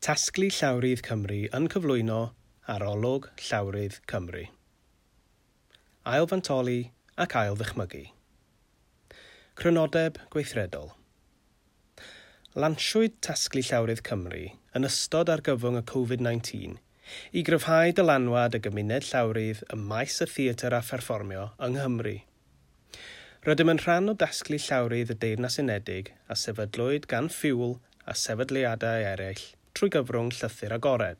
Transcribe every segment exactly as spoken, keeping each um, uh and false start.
Tasglu Llawrydd Cymru yn cyflwyno Arolwg Llawrydd Cymru. Ailfantoli ac ail-ddychmygu. Crynodeb gweithredol. Lansiwyd Tasglu Llawrydd Cymru yn ystod argyfwng y Covid nineteen i gryfhau dylanwad y gymuned llawrydd ym maes y theatr a pherfformio yng Nghymru. Rydym yn rhan o Dasglu Llawrydd y Deyrnas Unedig a sefydlwyd gan Fuel a sefydliadau eraill trwy gyfrwng llythyr agored.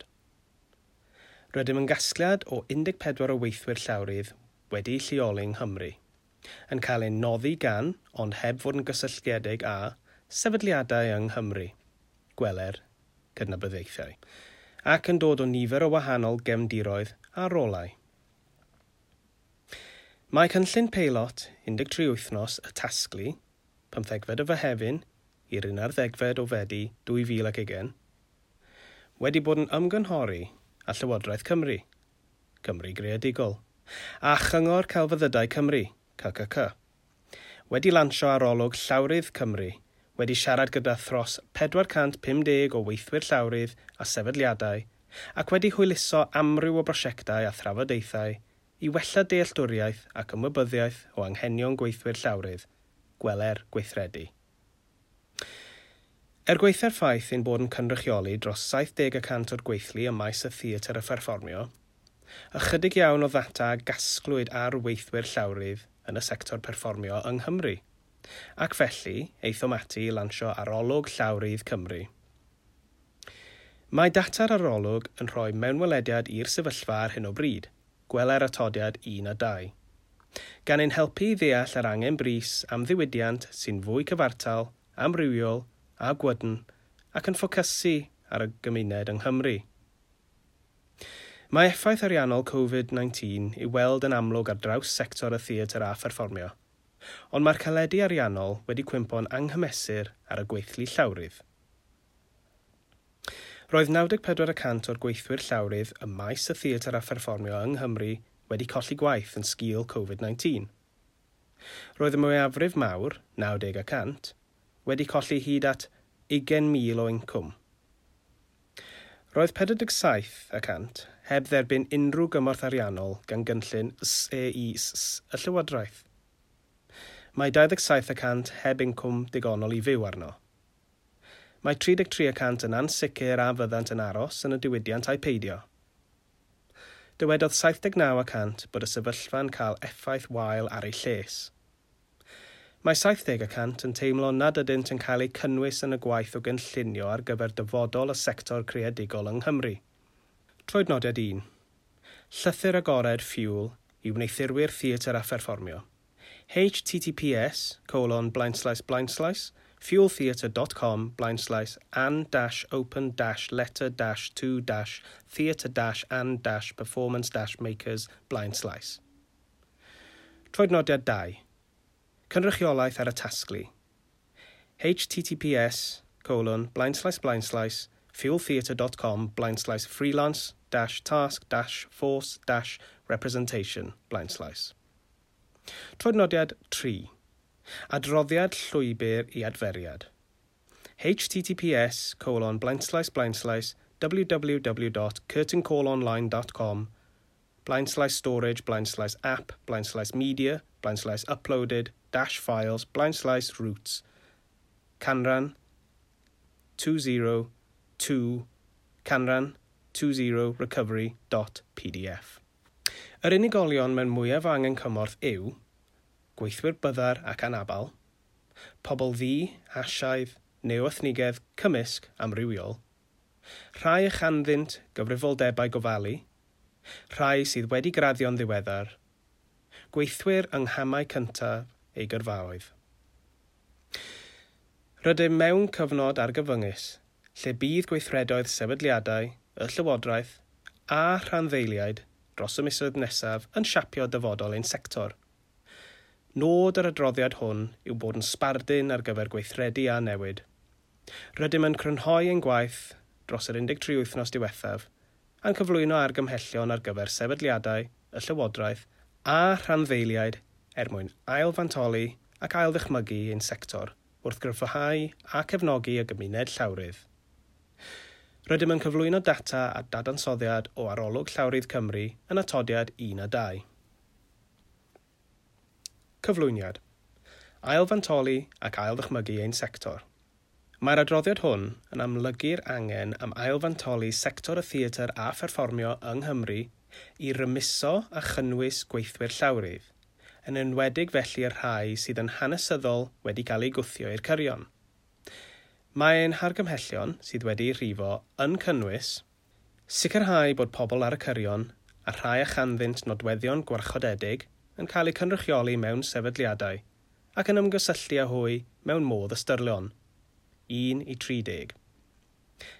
Rydym yn gasgliad o un deg pedwar o weithwyr llawrydd wedi'u lleoli yng Nghymru, yn cael ein noddi gan, ond heb fod yn gysylltiedig â, sefydliadau yng Nghymru, gweler cydnabyddiaethau, ac yn dod o nifer o wahanol gefndiroedd a rolau. Mae cynllun peilot un deg tri wythnos y tasglu, pymthegfed o Fehefin i'r unarddegfed o Fedi dwy fil ac ugain, wedi bod yn ymgynghori â Llywodraeth Cymru, Cymru Greadigol, a Chyngor Celfyddydau Cymru, C C C, wedi lansio arolwg Llawrydd Cymru, wedi siarad gyda thros pedwar cant pum deg o weithwyr llawrydd a sefydliadau, ac wedi hwyluso amryw o brosiectau a thrafodaethau i wella dealltwriaeth ac ymwybyddiaeth o anghenion gweithwyr llawrydd, gweler gweithredu. Er gwaetha'r ffaith ein bod yn cynrychioli dros saith deg y cant o'r gweithlu ym maes y theatr a pherfformio, ychydig iawn o ddata gasglwyd ar weithwyr llawrydd yn y sector perfformio yng Nghymru, ac felly aethom ati i lansio Arolwg Llawrydd Cymru. Mae data'r arolwg yn rhoi mewnwelediad i'r sefyllfa ar hyn o bryd, gweler atodiad un a dau, gan ein helpu i ddeall yr angen brys am ddiwydiant sy'n fwy cyfartal, amrywiol a gwydn, ac yn ffocysu ar y gymuned yng Nghymru. Mae effaith ariannol Covid nineteen i'w weld yn amlwg ar draws sector y theatr a pherfformio, ond mae'r caledi ariannol wedi cwympo'n anghymesur ar y gweithlu llawrydd. Roedd naw deg pedwar y cant o'r gweithwyr llawrydd ym maes y theatr a pherfformio yng Nghymru wedi colli gwaith yn sgil Covid nineteen. Roedd y mwyafrif mawr, naw deg y cant, wedi colli hyd at ugain mil o incwm. Roedd pedwar deg saith y cant heb dderbyn unrhyw gymorth ariannol gan gynllun S E I S S y Llywodraeth. Mae dau ddeg saith y cant heb incwm digonol i fyw arno. Mae tri deg tri y cant yn ansicr a fyddant yn aros yn y diwydiant a'i peidio. Dywedodd saith deg naw y cant bod y sefyllfa'n cael effaith wael ar ei lles. Mae saith deg y cant yn teimlo nad ydynt yn cael eu cynnwys yn y gwaith o gynllunio ar gyfer dyfodol y sector creadigol yng Nghymru. Troednodiad un. Llythyr agored Fuel i wneuthurwyr theatr a pherfformio. H T T P S colon blaenslaes blaenslaes fueltheatre dot com blaenslaes and dash open dash letter dash to dash theatre dash and dash performance dash makers blaenslaes. Troednodiad dau. Cynrychiolaeth ar y tasglu. H T T P S colon blaenslaes blaenslaes fueltheatre dot com blaenslaes freelance dash task dash force dash representation blaenslaes. Troednodiad tri. Adroddiad llwybr i adferiad. H T T P S colon blaenslaes blaenslaes w w w dot curtain call online dot com blaenslaes storage blaenslaes app blaenslaes media blaenslaes uploaded dash files blaenslaes routes canran two zero two canran two zero recovery dot P D F. Yr unigolion mewn mwyaf o angen cymorth yw gweithwyr byddar ac anabal, pobl ddu, Asiaidd, neu-ethnigedd cymysg amrywiol, rhai a chanddynt gyfrifoldebau gofalu, rhai sydd wedi graddio'n ddiweddar, gweithwyr yng nghamau cyntaf eu gyrfaoedd. Rydym mewn cyfnod argyfyngus, lle bydd gweithredoedd sefydliadau, y Llywodraeth a rhanddeiliaid dros y misoedd nesaf yn siapio dyfodol ein sector. Nod yr adroddiad hwn yw bod yn sbardun ar gyfer gweithredu a newid. Rydym yn crynhoi ein gwaith dros yr un deg tri wythnos diwethaf a'n cyflwyno argymhellion ar gyfer sefydliadau, y Llywodraeth a rhanddeiliaid er mwyn ailfantoli ac ailddychmygu ein sector wrth gryfhau a cefnogi y gymuned llawrydd. Rydym yn cyflwyno data a dadansoddiad o Arolwg Llawrydd Cymru yn atodiad un a dau. Cyflwyniad. Ailfantoli ac ailddychmygu ein sector. Mae'r adroddiad hwn yn amlygu'r angen am ailfantoli sector y theatr a pherfformio yng Nghymru i rymuso a chynnwys gweithwyr llawrydd, yn enwedig felly'r rhai sydd yn hanesyddol wedi cael eu gwthio i'r cyrion. Mae ein hargymhellion sydd wedi'u rhifo yn cynnwys sicrhau bod pobl ar y cyrion a rhai a chanddynt nodweddion gwarchodedig yn cael eu cynrychioli mewn sefydliadau ac yn ymgysylltu â hwy mewn modd ystyrlon, un i tri deg.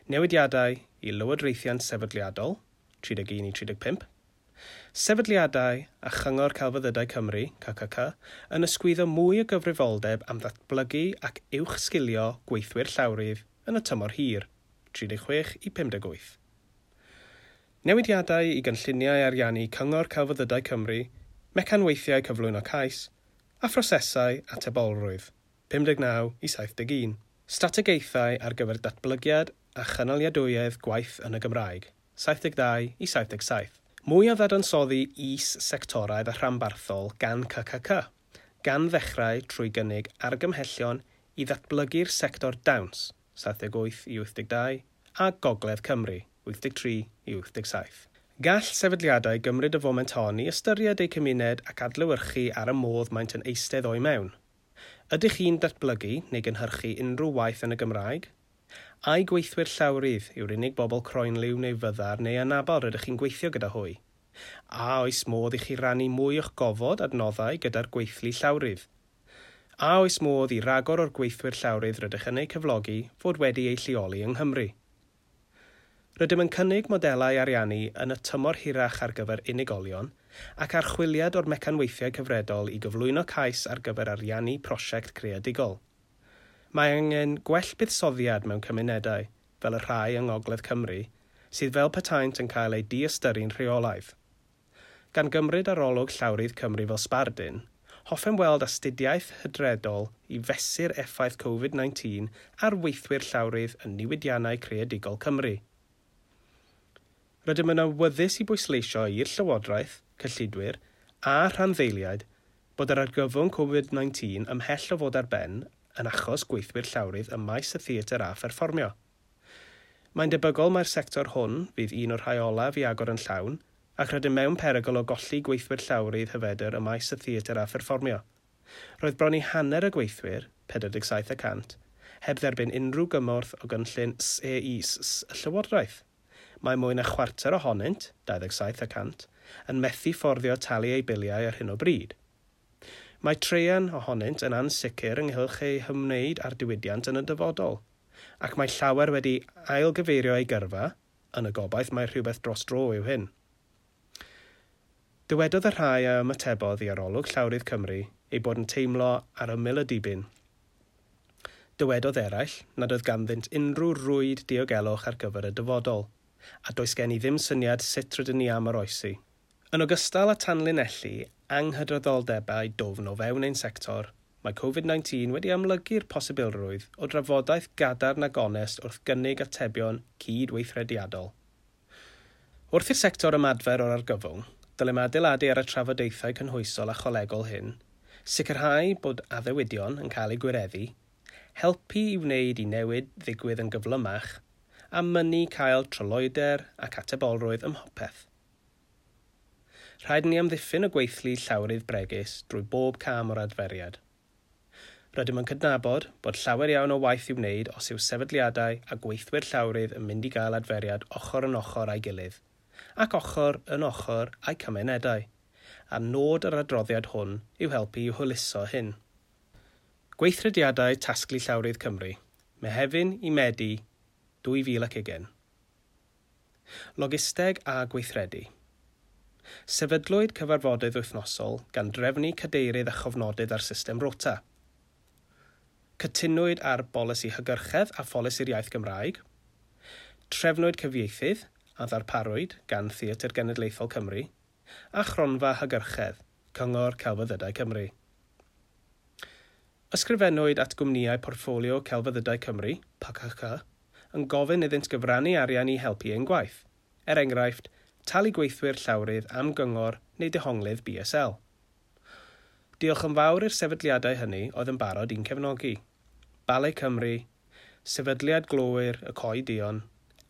Newidiadau i lywodraethiant sefydliadol, tri deg un i tri deg pump. Sefydliadau a Chyngor Celfyddydau Cymru, C C C, yn ysgwyddo mwy o gyfrifoldeb am ddatblygu ac uwchsgilio gweithwyr llawrydd yn y tymor hir, tri deg chwech i pum deg wyth. Newidiadau i gynlluniau ariannu Cyngor Celfyddydau Cymru, mecanweithiau cyflwyno cais, a phrosesau atebolrwydd, pum deg naw i saith deg un. Strategaethau ar gyfer datblygiad a chynaliadwyedd gwaith yn y Gymraeg, saith deg dau i saith deg saith. Mwy o ddadansoddi is-sectoraidd a rhanbarthol gan C C C, gan ddechrau trwy gynnig argymhellion i ddatblygu'r sector dawns, saith deg wyth i wyth deg dau, a Gogledd Cymru, wyth deg tri i wyth deg saith. Gall sefydliadau gymryd y foment hon i ystyried eu cymuned ac adlewyrchu ar y modd maent yn eistedd o'i mewn. Ydych chi'n datblygu neu gynhyrchu unrhyw waith yn y Gymraeg? Ai gweithwyr llawrydd yw'r unig bobl croenliw neu fyddar neu anabl rydych chi'n gweithio gyda hwy? A oes modd i chi rannu mwy o'ch gofod adnoddau gyda'r gweithlu llawrydd? A oes modd i ragor o'r gweithwyr llawrydd rydych yn eu cyflogi fod wedi eu lleoli yng Nghymru? Rydym yn cynnig modelau ariannu yn y tymor hirach ar gyfer unigolion ac archwiliad o'r mecanweithiau cyfredol i gyflwyno cais ar gyfer ariannu prosiect creadigol. Mae angen gwell buddsoddiad mewn cymunedau, fel y rhai yng Ngogledd Cymru, sydd fel petaent yn cael eu diystyru'n rheolaidd. Gan gymryd arolwg Llawrydd Cymru fel sbardun, hoffem weld astudiaeth hydredol i fesur effaith Covid nineteen ar weithwyr llawrydd yn niwydiannau creadigol Cymru. Rydym yn awyddus i bwysleisio i'r Llywodraeth, cyllidwyr a rhanddeiliaid bod yr argyfwng Covid nineteen ymhell o fod ar ben yn achos gweithwyr llawrydd ym maes y theatr a pherfformio. Mae'n debygol mai'r sector hwn fydd un o'r rhai olaf i agor yn llawn, ac rydym mewn perygl o golli gweithwyr llawrydd hyfedr ym maes y theatr a pherfformio. Roedd bron i hanner y gweithwyr, pedwar deg saith y cant, heb dderbyn unrhyw gymorth o gynllun S E I S S y Llywodraeth. Mae mwy na chwarter ohonynt, dau ddeg saith y cant, yn methu fforddio talu eu biliau ar hyn o bryd. Mae traean ohonynt yn ansicr ynghylch eu hymwneud â'r diwydiant yn y dyfodol, ac mae llawer wedi ailgyfeirio eu gyrfa, yn y gobaith mae rhywbeth dros dro yw hyn. Dywedodd y rhai a ymatebodd i Arolwg Llawrydd Cymru eu bod yn teimlo ar ymyl y dibyn. Dywedodd eraill nad oedd ganddynt unrhyw rwyd diogelwch ar gyfer y dyfodol, a does gen i ddim syniad sut rydyn ni am oroesi. Yn ogystal â tanlinellu anghydraddoldebau dwfn o fewn ein sector, mae Covid nineteen wedi amlygu'r posibilrwydd o drafodaeth gadarn a gonest wrth gynnig atebion cydweithrediadol. Wrth i'r sector ymadfer o'r argyfwng, dylem adeiladu ar y trafodaethau cynhwysol a cholegol hyn, sicrhau bod addewidion yn cael eu gwireddu, helpu i wneud i newid ddigwydd yn gyflymach, a mynnu cael tryloywder ac atebolrwydd ym mhopeth. Rhaid ni amddiffyn y gweithlu llawrydd bregus drwy bob cam o'r adferiad. Rydym yn cydnabod bod llawer iawn o waith i'w wneud os yw sefydliadau a gweithwyr llawrydd yn mynd i gael adferiad ochr yn ochr â'i gilydd, ac ochr yn ochr â'i cymunedau, a nod yr adroddiad hwn yw helpu i hwyluso hyn. Gweithrediadau Tasglu Llawrydd Cymru, Mehefin i Medi dwy fil ac ugain. Logisteg a gweithredu. Sefydlwyd cyfarfodydd wythnosol gan drefnu cadeirydd a chofnodydd ar system rota. Cytunwyd ar bolisi hygyrchedd a pholisi'r iaith Gymraeg. Trefnwyd cyfieithydd a ddarparwyd gan Theatr Genedlaethol Cymru a Chronfa Hygyrchedd, Cyngor Celfyddydau Cymru. Ysgrifennwyd at gwmnïau Portffolio Celfyddydau Cymru, P C C, yn gofyn iddynt gyfrannu arian i helpu ein gwaith, er enghraifft, talu gweithwyr llawrydd am gyngor neu dehonglydd B S L. Diolch yn fawr i'r sefydliadau hynny oedd yn barod i'n cefnogi. Ballet Cymru, Sefydliad Glowyr y Coed Duon,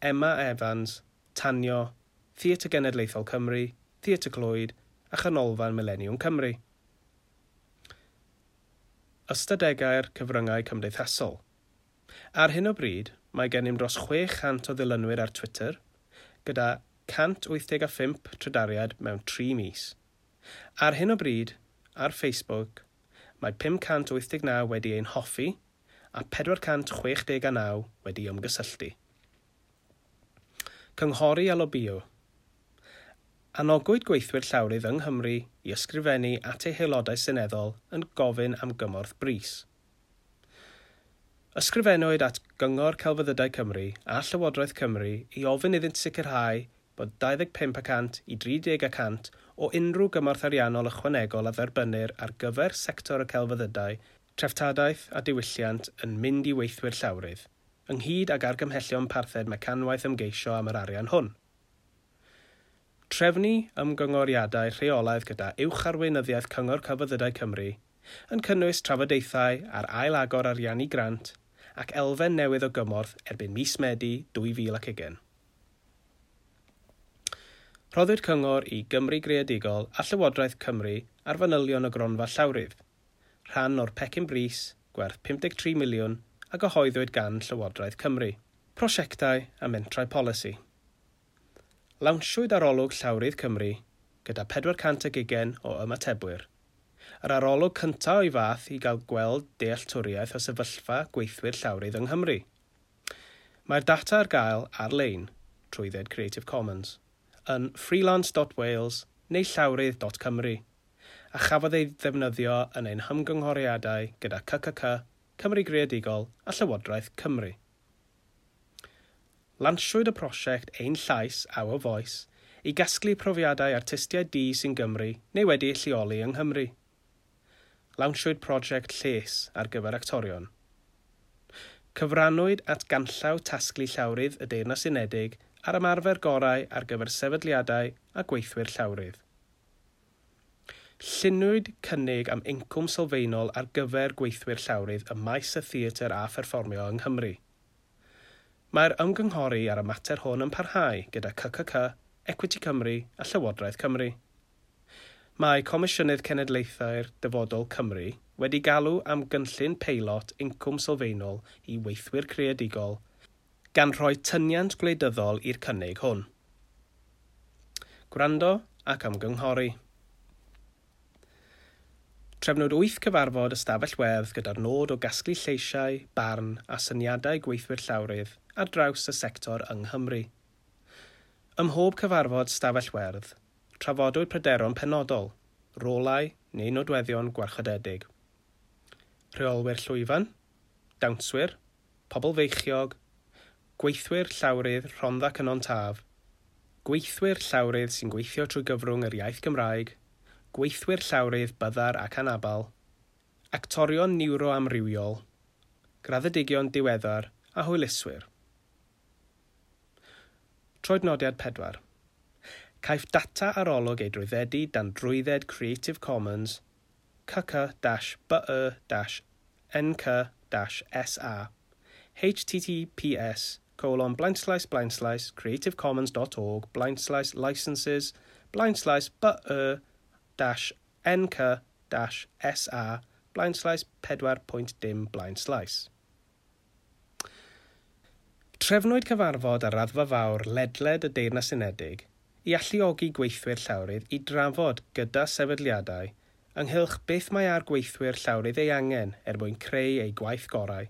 Emma Evans, Tanio, Theatr Genedlaethol Cymru, Theatr Clwyd a Chanolfan Mileniwm Cymru. Ystadegau'r cyfryngau cymdeithasol. Ar hyn o bryd, mae gennym dros chwe chant o ddilynwyr ar Twitter, gyda cant wyth deg a phump trydariad mewn tri mis. Ar hyn o bryd, ar Facebook, mae pum cant wyth deg naw wedi ein hoffi a pedwar cant chwech deg a naw wedi ymgysylltu. Cynghori a lobïo. Anogwyd gweithwyr llawrydd yng Nghymru i ysgrifennu at eu haelodau seneddol yn gofyn am gymorth brys. Ysgrifennwyd at Gyngor Celfyddydau Cymru a Llywodraeth Cymru i ofyn iddynt sicrhau bod dau ddeg pump y cant i dri deg y cant o unrhyw gymorth ariannol ychwanegol a dderbynnir ar gyfer sector y celfyddydau, treftadaeth a diwylliant yn mynd i weithwyr llawrydd, ynghyd ag argymhellion parthed mecanwaith ymgeisio am yr arian hwn. Trefnu ymgyngoriadau rheolaidd gyda uwch arweinyddiaeth Cyngor Celfyddydau Cymru yn cynnwys trafodaethau ar ail-agor ariannu grant ac elfen newydd o gymorth erbyn mis Medi dwy fil ac ugain. Rhoddwyd cyngor i Gymru Greadigol a Llywodraeth Cymru ar fanylion y gronfa llawrydd, rhan o'r pecyn brys gwerth pum deg tri miliwn a gyhoeddwyd gan Llywodraeth Cymru. Prosiectau a mentrau polisi. Lawnsiwyd arolwg Llawrydd Cymru gyda pedwar cant ag ugain o ymatebwyr. Yr arolwg cyntaf o'i fath i gael gweld dealltwriaeth o sefyllfa gweithwyr llawrydd yng Nghymru. Mae'r data ar gael ar-lein, trwydded Creative Commons, yn freelance dot wales neu llawrydd dot cymru, a chafodd ei ddefnyddio yn ein hymgynghoriadau gyda C C C, Cymru Greadigol a Llywodraeth Cymru. Lansiwyd y prosiect Ein Llais, Our Voice, i gasglu profiadau artistiaid du sy'n Gymru neu wedi'u lleoli yng Nghymru. Lansiwyd prosiect Lles ar gyfer actorion. Cyfrannwyd at ganllaw tasglu llawrydd y Deyrnas Unedig ar ymarfer gorau ar gyfer sefydliadau a gweithwyr llawrydd. Lluniwyd cynnig am incwm sylfaenol ar gyfer gweithwyr llawrydd ym maes y theatr a pherfformio yng Nghymru. Mae'r ymgynghori ar y mater hwn yn parhau gyda C C C, Equity Cymru a Llywodraeth Cymru. Mae Comisiynydd Cenedlaethau'r Dyfodol Cymru wedi galw am gynllun peilot incwm sylfaenol i weithwyr creadigol, gan rhoi tyniant gwleidyddol i'r cynnig hwn. Gwrando ac ymgynghori. Trefnwyd wyth cyfarfod ystafell werdd gyda'r nod o gasglu lleisiau, barn a syniadau gweithwyr llawrydd ar draws y sector yng Nghymru. Ym mhob cyfarfod stafell werdd, trafodwyd pryderon penodol, rolau neu nodweddion gwarchodedig. Rheolwyr llwyfan, dawnswyr, pobl feichiog, gweithwyr llawrydd Rhondda Cynon Taf, gweithwyr llawrydd sy'n gweithio trwy gyfrwng yr iaith Gymraeg, gweithwyr llawrydd byddar ac anabal, actorion niwroamrywiol, graddedigion diweddar a hwyluswyr. Troednodiad pedwar. Caiff data arolwg ei drwyddedu dan drwydded Creative Commons C C dash B E dash N C dash S A H T T P S colon blindslash blindslash creativecommons dot org blindslash licenses blindslash B E dash N C dash S A blindslash pedwar pwynt dim blindslash. Trefnwyd cyfarfod ar raddfa fawr ledled y Deyrnas Unedig i alluogi gweithwyr llawrydd i drafod gyda sefydliadau ynghylch beth mae ar gweithwyr llawrydd ei angen er mwyn creu eu gwaith gorau,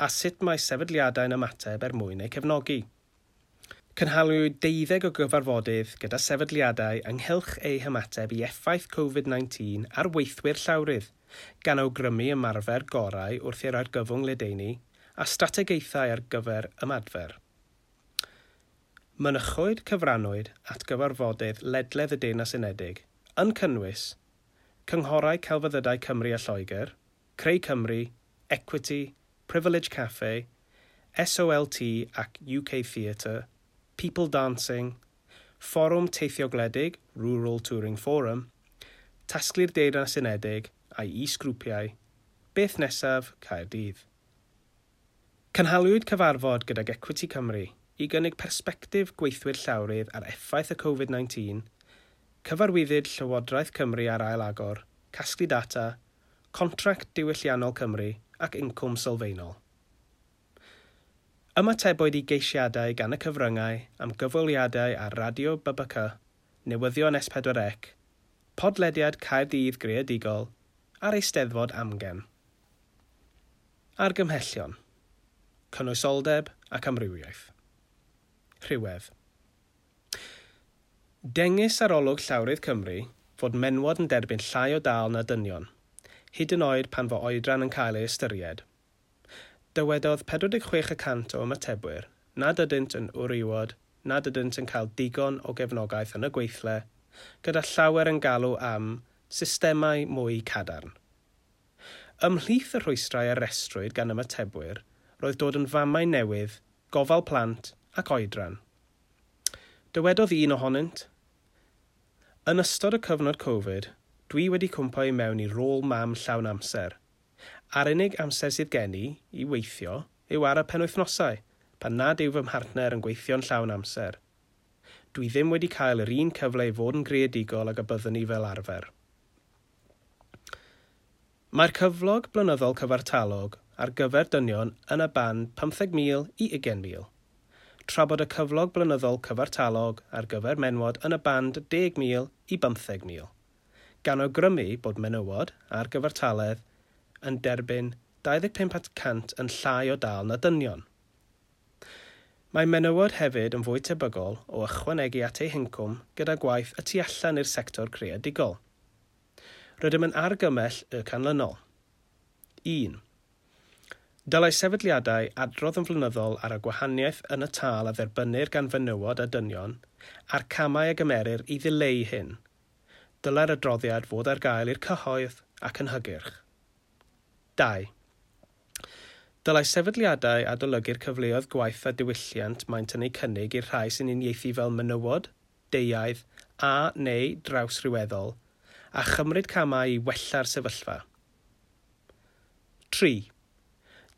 a sut mae sefydliadau'n ymateb er mwyn eu cefnogi. Cynhaliwyd deuddeg o gyfarfodydd gyda sefydliadau ynghylch eu hymateb i effaith Covid nineteen ar weithwyr llawrydd, gan awgrymu ymarfer gorau wrth i'r argyfwng ledaenu a strategaethau ar gyfer ymadfer. Mynychwyd cyfrannwyd at gyfarfodydd ledled y Deyrnas Unedig, yn cynnwys Cynghorau Celfyddydau Cymru a Lloegr, Creu Cymru, Equity, Privilege Cafe, S O L T ac U K Theatre, People Dancing, Fforwm Teithio Gwledig, Rural Touring Forum, Tasglu'r Deyrnas Unedig a'i is-grwpiau, Beth Nesaf, Caerdydd. Cynhaliwyd cyfarfod gydag Equity Cymru i gynnig persbectif gweithwyr llawrydd ar effaith y Covid nineteen, cyfarwyddyd Llywodraeth Cymru ar ail-agor, casglu data, contract diwylliannol Cymru ac incwm sylfaenol. Ymatebwyd i geisiadau gan y cyfryngau am gyfweliadau ar Radio B B C, Newyddion S pedwar C, Podlediad Caerdydd Greadigol a'r Eisteddfod Amgen. Argymhellion. Cynwysoldeb ac amrywiaeth. Rhywedd. Dengys arolwg Llawrydd Cymru fod menywod yn derbyn llai o dâl na dynion, hyd yn oed pan fo oedran yn cael ei ystyried. Dywedodd pedwar deg chwech y cant o ymatebwyr nad ydynt yn wrywod, nad ydynt yn cael digon o gefnogaeth yn y gweithle, gyda llawer yn galw am systemau mwy cadarn. Ymhlith y rhwystrau a restrwyd gan ymatebwyr roedd dod yn famau newydd, gofal plant ac oedran. Dywedodd un ohonynt, "Yn ystod y cyfnod Covid, dwi wedi cwmpo i mewn i rôl mam llawn amser. A'r unig amser sydd gen i i weithio yw ar y penwythnosau, pan nad yw fy mhartner yn gweithio'n llawn amser. Dwi ddim wedi cael yr un cyfle i fod yn greadigol ag y byddwn i fel arfer." Mae'r cyflog blynyddol cyfartalog ar gyfer dynion yn y band pymtheg mil i ugain mil, tra bod y cyflog blynyddol cyfartalog ar gyfer menywod yn y band deg mil i bymtheg mil, gan awgrymu bod menywod ar gyfartaledd yn derbyn dau ddeg pump y cant yn llai o dâl na dynion. Mae menywod hefyd yn fwy tebygol o ychwanegu at eu hincwm gyda gwaith y tu allan i'r sector creadigol. Rydym yn argymell y canlynol. un. Dylai sefydliadau adrodd yn flynyddol ar y gwahaniaeth yn y tâl a dderbynnir gan fenywod a dynion a'r camau a gymerir i ddileu hyn. Dylai'r adroddiad fod ar gael i'r cyhoedd ac yn hygyrch. dau. Dylai sefydliadau adolygu'r cyfleoedd gwaith a diwylliant maent yn eu cynnig i'r rhai sy'n uniaethu fel menywod, deuaidd a neu drawsryweddol, a chymryd camau i wella'r sefyllfa. tri.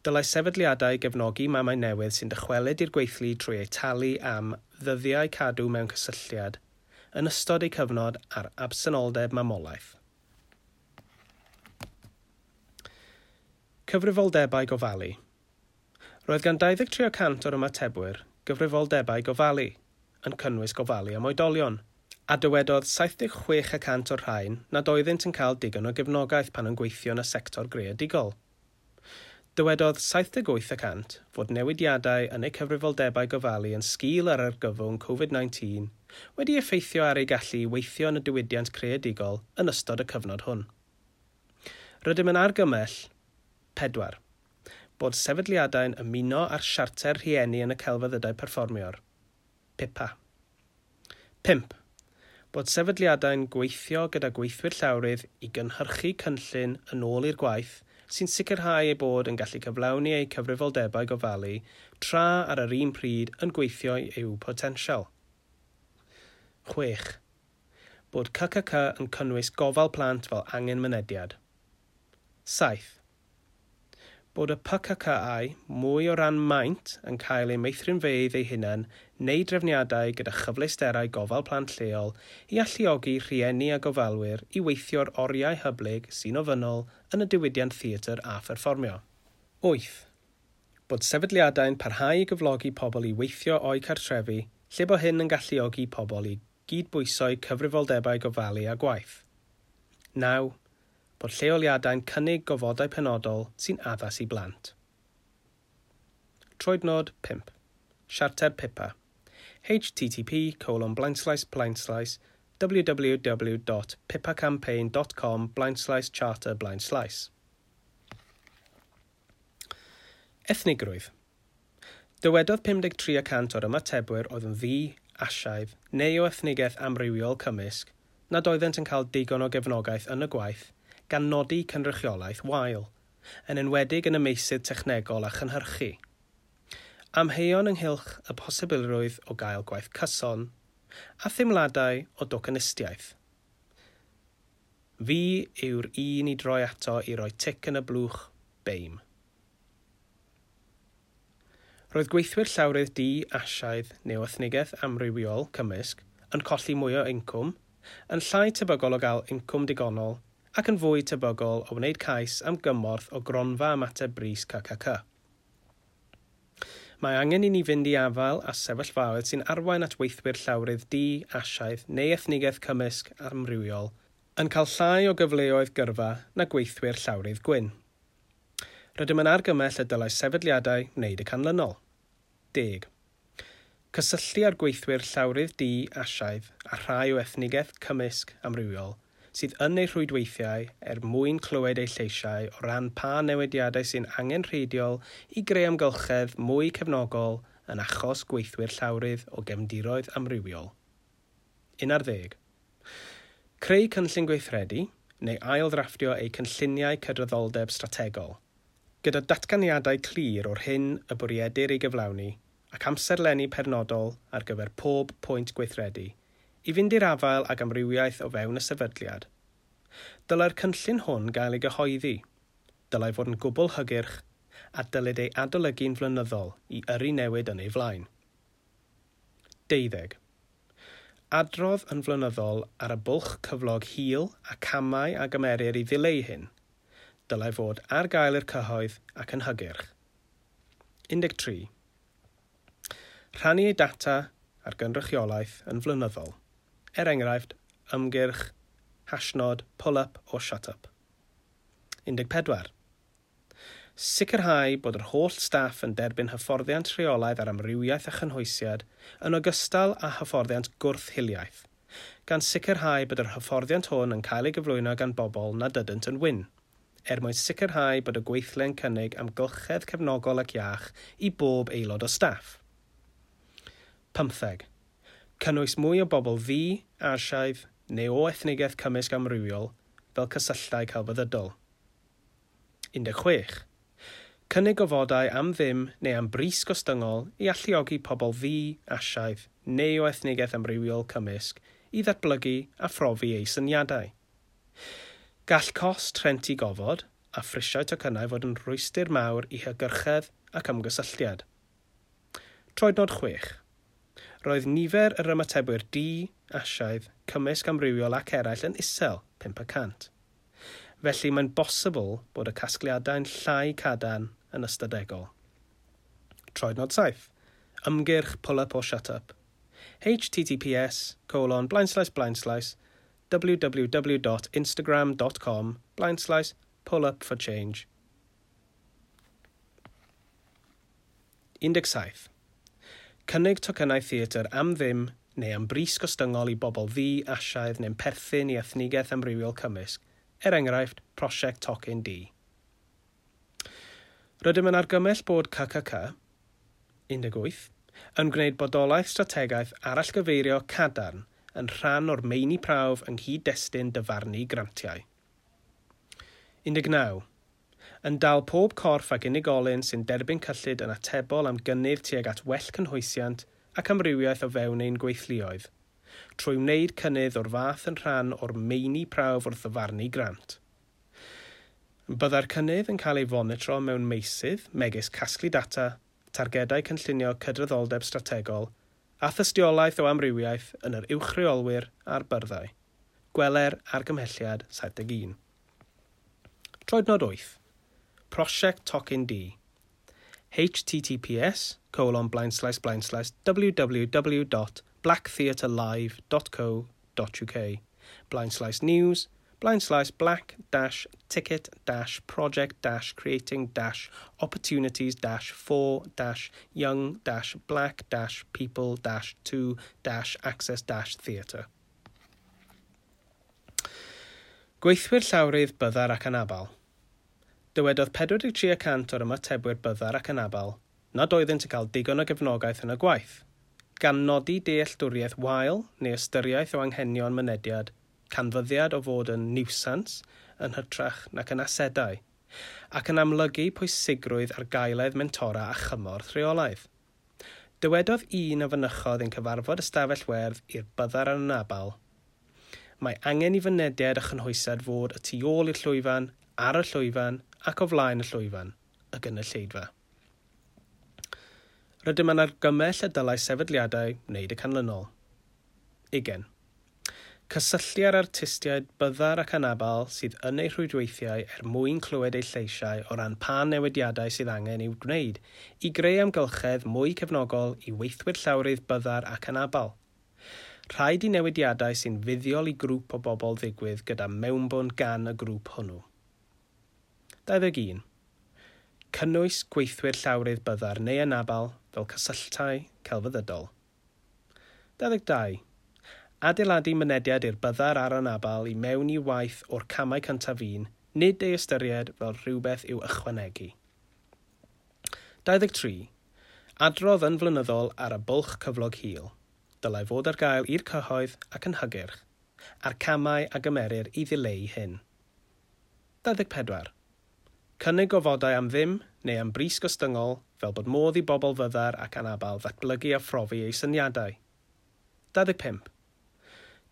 Dylai sefydliadau gefnogi mamau newydd sy'n dychwelyd i'r gweithlu trwy eu talu am ddyddiau cadw mewn cysylltiad yn ystod eu cyfnod ar absenoldeb mamolaeth. Cyfrifoldebau gofalu. Roedd gan dau ddeg tri y cant o'r ymatebwyr gyfrifoldebau gofalu, yn cynnwys gofalu am oedolion, a dywedodd saith deg chwech y cant o'r rhain nad oeddynt yn cael digon o gefnogaeth pan yn gweithio yn y sector greadigol. Dywedodd saith deg wyth y cant fod newidiadau yn eu cyfrifoldebau gofalu yn sgil yr argyfwng Covid nineteen wedi effeithio ar eu gallu i weithio yn y diwydiant creadigol yn ystod y cyfnod hwn. Rydym yn argymell pedwar. Bod sefydliadau'n ymuno â'r siarter rhieni yn y celfyddydau perfformio'r P I P A. Pump. Bod sefydliadau'n gweithio gyda gweithwyr llawrydd i gynhyrchu cynllun yn ôl i'r gwaith sy'n sicrhau eu bod yn gallu cyflawni eu cyfrifoldebau gofalu tra ar yr un pryd yn gweithio i'w potensial. Chwech. Bod C C C yn cynnwys gofal plant fel angen mynediad. Saith. Bod y P C C au mwy o ran maint yn cael eu meithrinfeydd eu hunain neu drefniadau gyda chyfleusterau gofal plant lleol i alluogi rhieni a gofalwyr i weithio'r oriau hyblyg sy'n ofynnol yn y diwydiant theatr a pherfformio. Wyth. Bod sefydliadau'n parhau i gyflogi pobl i weithio o'u cartrefi lle bo hyn yn galluogi pobl i gydbwyso'u cyfrifoldebau gofalu a gwaith. Naw. Bod lleoliadau'n cynnig gofodau penodol sy'n addas i blant. Troednod pump. Siarter P I P A. H T T P colon blaenslaes blaenslaes w w w dot pipa campaign dot com blaenslaes charter blaenslaes. Ethnigrwydd. Dywedodd pum deg tri y cant o'r ymatebwyr oedd yn ddu, Asiaidd neu o ethnigaeth amrywiol cymysg nad oeddent yn cael digon o gefnogaeth yn y gwaith gan nodi cynrychiolaeth wael, yn enwedig yn y meysydd technegol a chynhyrchu. Amheuon ynghylch y posibilrwydd o gael gwaith cyson, a theimladau o docynistiaeth. Fi yw'r un i droi ato i roi tic yn y blwch B A M E. Roedd gweithwyr llawrydd du, Asiaidd neu ethnigaeth amrywiol cymysg yn colli mwy o incwm, yn llai tebygol o gael incwm digonol ac yn fwy tebygol o wneud cais am gymorth o gronfa ymateb brys C C C. Mae angen i ni fynd i afael â sefyllfaoedd sy'n arwain at weithwyr llawrydd du, Asiaidd neu ethnigaeth cymysg amrywiol yn cael llai o gyfleoedd gyrfa na gweithwyr llawrydd gwyn. Rydym yn argymell y dylai sefydliadau wneud y canlynol. Deg. Cysylltu â'r gweithwyr llawrydd du, Asiaidd a rhai o ethnigaeth cymysg amrywiol sydd yn eu rhwydweithiau er mwyn clywed eu lleisiau o ran pa newidiadau sy'n angenrheidiol i greu amgylchedd mwy cefnogol yn achos gweithwyr llawrydd o gefndiroedd amrywiol. Un ar ddeg. Creu cynllun gweithredu neu ail-ddrafftio eu cynlluniau cydraddoldeb strategol, gyda datganiadau clir o'r hyn y bwriedir ei gyflawni ac amserlenni penodol ar gyfer pob pwynt gweithredu, i fynd i'r afael ag amrywiaeth o fewn y sefydliad. Dylai'r cynllun hwn gael ei gyhoeddi. Dylai fod yn gwbl hygyrch a dylid ei adolygu'n flynyddol i yrru newid yn ei flaen. Deuddeg. Adrodd yn flynyddol ar y bwlch cyflog hil a camau a gymerir i ddileu hyn. Dylai fod ar gael i'r cyhoedd ac yn hygyrch. un deg tri. Rhannu ei data ar gynrychiolaeth yn flynyddol. Er enghraifft, ymgyrch, hashnod, pull-up or shut-up. un deg pedwar. Sicrhau bod yr holl staff yn derbyn hyfforddiant rheolaidd ar amrywiaeth a chynhwysiad yn ogystal â hyfforddiant gwrth-hiliaeth, gan sicrhau bod yr hyfforddiant hwn yn cael ei gyflwyno gan bobl nad ydynt yn wyn, er mwyn sicrhau bod y gweithle'n cynnig amgylchedd cefnogol ac iach i bob aelod o staff. pymtheg. Cynnwys mwy o bobl ddu, Asiaidd neu o ethnigaeth cymysg amrywiol fel cysylltau celfyddydol. un deg chwech. Cynnig gofodau am ddim neu am bris gostyngol i alluogi pobl ddu, Asiaidd neu o ethnigaeth amrywiol cymysg i ddatblygu a phrofi eu syniadau. Gall cost rhentu gofod a phrisiau tocynnau fod yn rhwystr mawr i hygyrchedd ac ymgysylltiad. Troednod chwech. Roedd nifer yr ymatebwyr du, Asiaidd, cymysg amrywiol ac eraill yn isel, pump y cant. Felly mae'n bosibl bod y casgliadau'n llai cadarn yn ystadegol. Troednod saith. Ymgyrch Pull Up or Shut Up. H T T P S colon blaenslaes blaenslaes W W W dot instagram dot com blaenslaes pull up for change. un deg saith. Cynnig tocynnau theatr am ddim neu am bris gostyngol i bobl ddu, Asiaidd neu'n perthyn i ethnigaeth amrywiol cymysg, er enghraifft Prosiect Tocyn Du. Rydym yn argymell bod C C C un deg wyth yn gwneud bodolaeth strategaeth arallgyfeirio cadarn yn rhan o'r meini prawf yng nghyd-destun dyfarnu grantiau. un deg naw. Yn dal pob corff ac unigolyn sy'n derbyn cyllid yn atebol am gynnydd tuag at well cynhwysiant ac amrywiaeth o fewn ein gweithluoedd, trwy wneud cynnydd o'r fath yn rhan o'r meini prawf wrth ddyfarnu grant. Byddai'r cynnydd yn cael ei fonitro mewn meysydd megis casglu data, targedau cynllunio cydraddoldeb strategol a thystiolaeth o amrywiaeth yn yr uwchreolwyr a'r byrddau. Gweler argymhelliad saith deg un. Troednod wyth. Prosiect Tocyn Du. H T T P S colon blaenslaes blaenslaes W W W dot blacktheatrelive dot co dot U K blaenslaes news blaenslaes black dash ticket dash project dash creating dash opportunities dash for dash young dash black dash people dash to dash access dash theatre. Gweithwyr llawrydd byddar ac anabal. Dywedodd pedwar deg tri y cant o'r ymatebwyr byddar ac anabal nad oeddynt yn cael digon o gefnogaeth yn y gwaith, gan nodi dealltwriaeth wael neu ystyriaeth o anghenion mynediad, canfyddiad o fod yn niwsans yn hytrach nac yn asedau, ac yn amlygu pwysigrwydd argaeledd mentora a chymorth rheolaidd. Dywedodd un a fynychodd ein cyfarfod ystafell werdd i'r byddar a'r anabal, "Mae angen i fynediad a chynhwysiad fod y tu ôl i'r llwyfan, ar y llwyfan ac o flaen y llwyfan, y gynulleidfa." Rydym yn argymell y dylai sefydliadau wneud y canlynol. Ugain. Cysylltu â'r artistiaid byddar ac anabal sydd yn eu rhwydweithiau er mwyn clywed eu lleisiau o ran pa newidiadau sydd angen i'w gwneud i greu amgylchedd mwy cefnogol i weithwyr llawrydd byddar ac anabal. Rhaid i newidiadau sy'n fuddiol i grŵp o bobl ddigwydd gyda mewnbwn gan y grŵp hwnnw. dau ddeg un. Cynnwys gweithwyr llawrydd byddar neu anabal fel cysylltau celfyddydol. dau ddeg dau. Adeiladu mynediad i'r byddar a'r anabal i mewn i waith o'r camau cyntaf un, nid ei ystyried fel rhywbeth i'w ychwanegu. dau ddeg tri. Adrodd yn flynyddol ar y bwlch cyflog hil. Dylai fod ar gael i'r cyhoedd ac yn hygyrch, a'r camau a gymerir i ddileu hyn. dau ddeg pedwar. Cynnig gofodau am ddim neu am bris gostyngol fel bod modd i bobl fyddar ac anabal ddatblygu a phrofi eu syniadau. dau ddeg pump.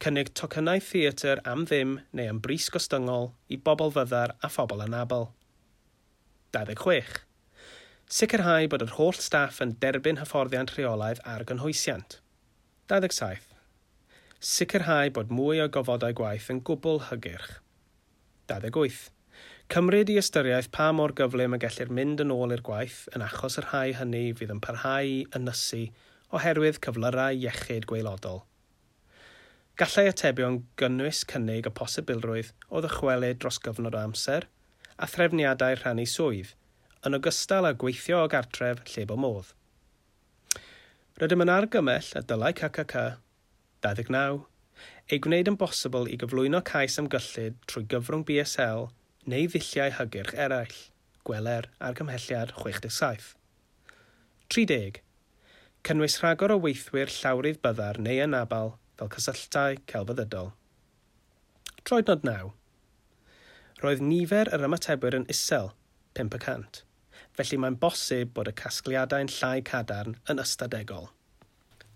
Cynnig tocynnau theatr am ddim neu am bris gostyngol i bobl fyddar a phobl anabl. dau ddeg chwech. Sicrhau bod yr holl staff yn derbyn hyfforddiant rheolaidd ar gynhwysiant. dau ddeg saith. Sicrhau bod mwy o gofodau gwaith yn gwbl hygyrch. dau ddeg wyth. Cymryd i ystyriaeth pa mor gyflym y gellir mynd yn ôl i'r gwaith yn achos y rhai hynny fydd yn parhau i ynysu oherwydd cyflyrau iechyd gwaelodol. Gallai atebion gynnwys cynnig y posibilrwydd o ddychwelyd dros gyfnod o amser a threfniadau rhannu swydd, yn ogystal â gweithio o gartref lle bo modd. Rydym yn argymell y dylai C C C dau ddeg naw ei gwneud yn bosibl i gyflwyno cais am gyllid trwy gyfrwng B S L neu ddulliau hygyrch eraill, gweler argymhelliad chwech deg saith. tri deg. Cynnwys rhagor o weithwyr llawrydd byddar neu anabal fel cysylltau celfyddydol. Troednod naw. Roedd nifer yr ymatebwyr yn isel, pump y cant, felly mae'n bosib bod y casgliadau'n llai cadarn yn ystadegol.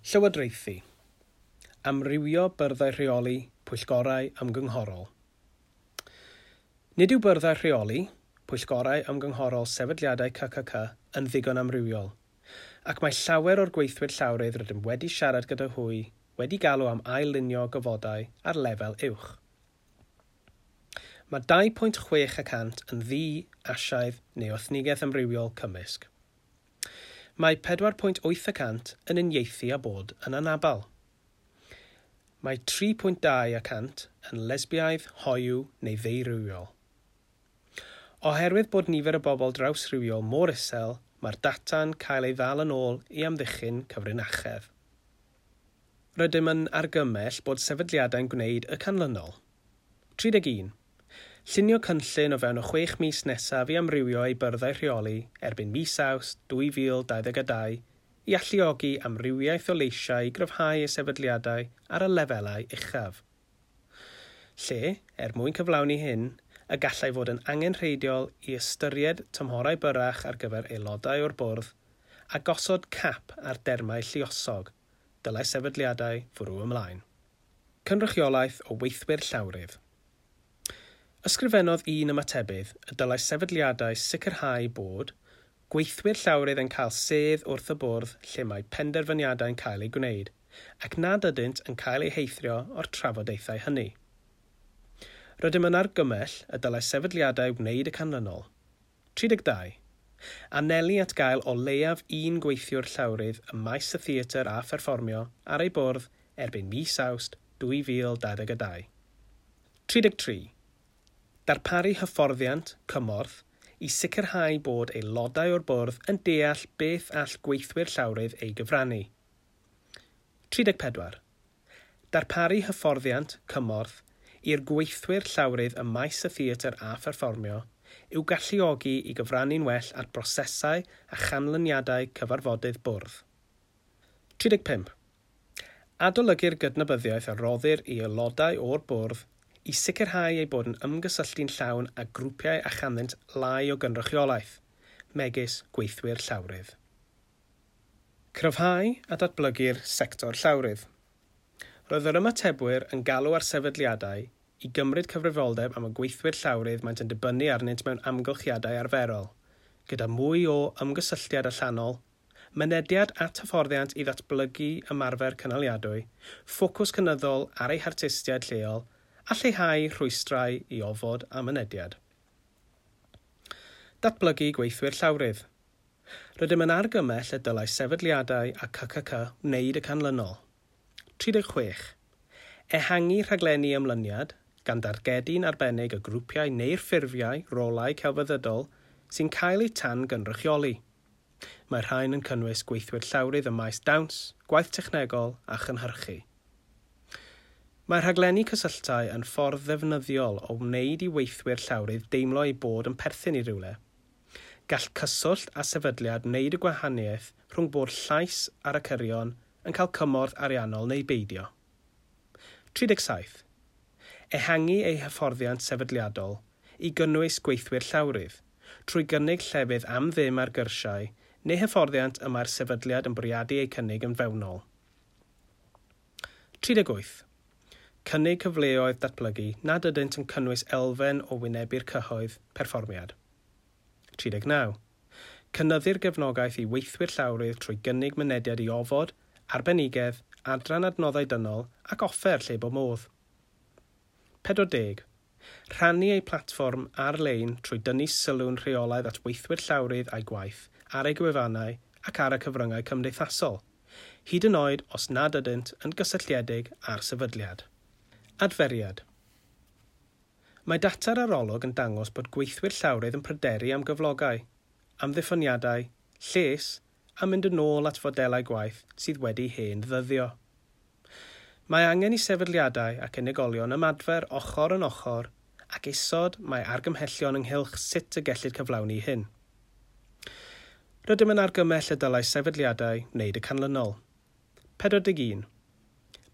Llywodraethu. Amrywio byrddau rheoli, pwyllgorau ymgynghorol. Nid yw byrddau rheoli, pwyllgorau ymgynghorol sefydliadau C C C yn ddigon amrywiol, ac mae llawer o'r gweithwyr llawrydd rydym wedi siarad gyda hwy wedi galw am ail-lunio gofodau ar lefel uwch. Mae dau pwynt chwech y cant yn ddu, Asiaidd neu ethnigaeth amrywiol cymysg. Mae pedwar pwynt wyth y cant yn uniaethu â bod yn anabal. Mae tri pwynt dau y cant yn lesbiaidd, hoyw neu ddeurywiol. Oherwydd bod nifer y bobl drawsrywiol mor isel, mae'r data'n cael ei ddal yn ôl i amddiffyn cyfrinachedd. Rydym yn argymell bod sefydliadau'n gwneud y canlynol. tri deg un. Llunio cynllun o fewn y chwech mis nesaf i amrywio ei byrddau rheoli erbyn mis Awst dwy fil dau ddeg a dau i alluogi amrywiaeth o leisiau i gryfhau y sefydliadau ar y lefelau uchaf. Lle, er mwyn cyflawni hyn, y gallai fod yn angenrheidiol i ystyried tymhorau byrrach ar gyfer aelodau o'r bwrdd a gosod cap ar dermau lluosog, dylai sefydliadau fwrw ymlaen. Cynrychiolaeth o weithwyr llawrydd. Ysgrifennodd un ymatebydd y dylai sefydliadau sicrhau bod gweithwyr llawrydd yn cael sedd wrth y bwrdd lle mae penderfyniadau'n cael eu gwneud, ac nad ydynt yn cael eu heithrio o'r trafodaethau hynny. Rydym yn argymell y dylai sefydliadau wneud y canlynol. tri deg dau. Anelu at gael o leiaf un gweithiwr llawrydd ym maes y theatr a pherfformio ar ei bwrdd erbyn mis Awst dwy fil dau ddeg a dau. tri deg tri. Darparu hyfforddiant, cymorth, i sicrhau bod aelodau o'r bwrdd yn deall beth all gweithwyr llawrydd ei gyfrannu. tri deg pedwar. Darparu hyfforddiant, cymorth, i'r gweithwyr llawrydd ym maes y theatr a pherfformio i'w galluogi i gyfrannu'n well at brosesau a chanlyniadau cyfarfodydd bwrdd. tri deg pump. Adolygu'r gydnabyddiaeth a roddir i aelodau o'r bwrdd i sicrhau eu bod yn ymgysylltu'n llawn â grwpiau a chanddynt lai o gynrychiolaeth, megis gweithwyr llawrydd. Cryfhau a datblygu'r sector llawrydd. Roedd yr ymatebwyr yn galw ar sefydliadau i gymryd cyfrifoldeb am y gweithwyr llawrydd maent yn dibynnu arnynt mewn amgylchiadau arferol, gyda mwy o ymgysylltiad allanol, mynediad at hyfforddiant i ddatblygu ymarfer cynaliadwy, ffocws cynyddol ar eu hartistiaid lleol a lleihau rhwystrau i ofod a mynediad. Datblygu gweithwyr llawrydd. Rydym yn argymell y dylai sefydliadau a C C C wneud y canlynol. tri deg chwech. Ehangu rhaglenni ymlyniad gan dargedu'n arbennig y grwpiau neu'r ffurfiau rolau celfyddydol sy'n cael eu tan gynrychioli. Mae rhain yn cynnwys gweithwyr llawrydd ym maes dawns, gwaith technegol a chynhyrchu. Mae rhaglenni cysylltau yn ffordd ddefnyddiol o wneud i weithwyr llawrydd deimlo eu bod yn perthyn i rywle. Gall cyswllt a sefydliad wneud y gwahaniaeth rhwng bod llais ar y cyrion yn cael cymorth ariannol neu beidio. tri deg saith. Ehangu ei hyfforddiant sefydliadol i gynnwys gweithwyr llawrydd, trwy gynnig llefydd am ddim ar gyrsiau neu hyfforddiant y mae'r sefydliad yn bwriadu eu cynnig yn fewnol. tri deg wyth. Cynnig cyfleoedd datblygu nad ydynt yn cynnwys elfen o wynebu'r cyhoedd perfformiad. tri deg naw. Cynyddu'r gefnogaeth i weithwyr llawrydd trwy gynnig mynediad i ofod, arbenigedd, adran adnoddau dynol ac offer lle bo modd. pedwar deg. Rhannu eu platfform ar-lein trwy dynnu sylw'n rheolaidd at weithwyr llawrydd a'i gwaith ar eu gwefannau ac ar y cyfryngau cymdeithasol, hyd yn oed os nad ydynt yn gysylltiedig â'r sefydliad. Adferiad. Mae data'r arolwg yn dangos bod gweithwyr llawrydd yn pryderu am gyflogau, amddiffyniadau, lles a mynd yn ôl at fodelau gwaith sydd wedi hen ddyddio. Mae angen i sefydliadau ac unigolion ymadfer ochr yn ochr ac isod mae argymhellion ynghylch sut y gellid cyflawni hyn. Rydym yn argymell y dylai sefydliadau wneud y canlynol. pedwar deg un.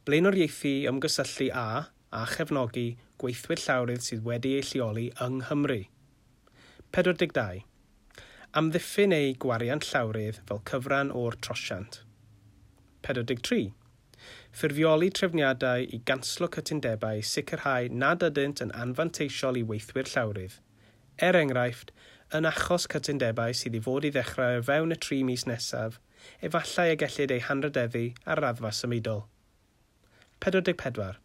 Blaenoriaethu ymgysylltu â a chefnogi gweithwyr llawrydd sydd wedi eu lleoli yng Nghymru. pedwar deg dau. Amddiffyn eu gwariant llawrydd fel cyfran o'r trosiant. pedwar deg tri. Ffurfioli trefniadau i ganslo cytundebau i sicrhau nad ydynt yn anfanteisiol i weithwyr llawrydd. Er enghraifft, yn achos cytundebau sydd i fod i ddechrau o fewn y tri mis nesaf, efallai y gellid eu hanrhydeddu ar raddfa symudol. pedwar deg pedwar.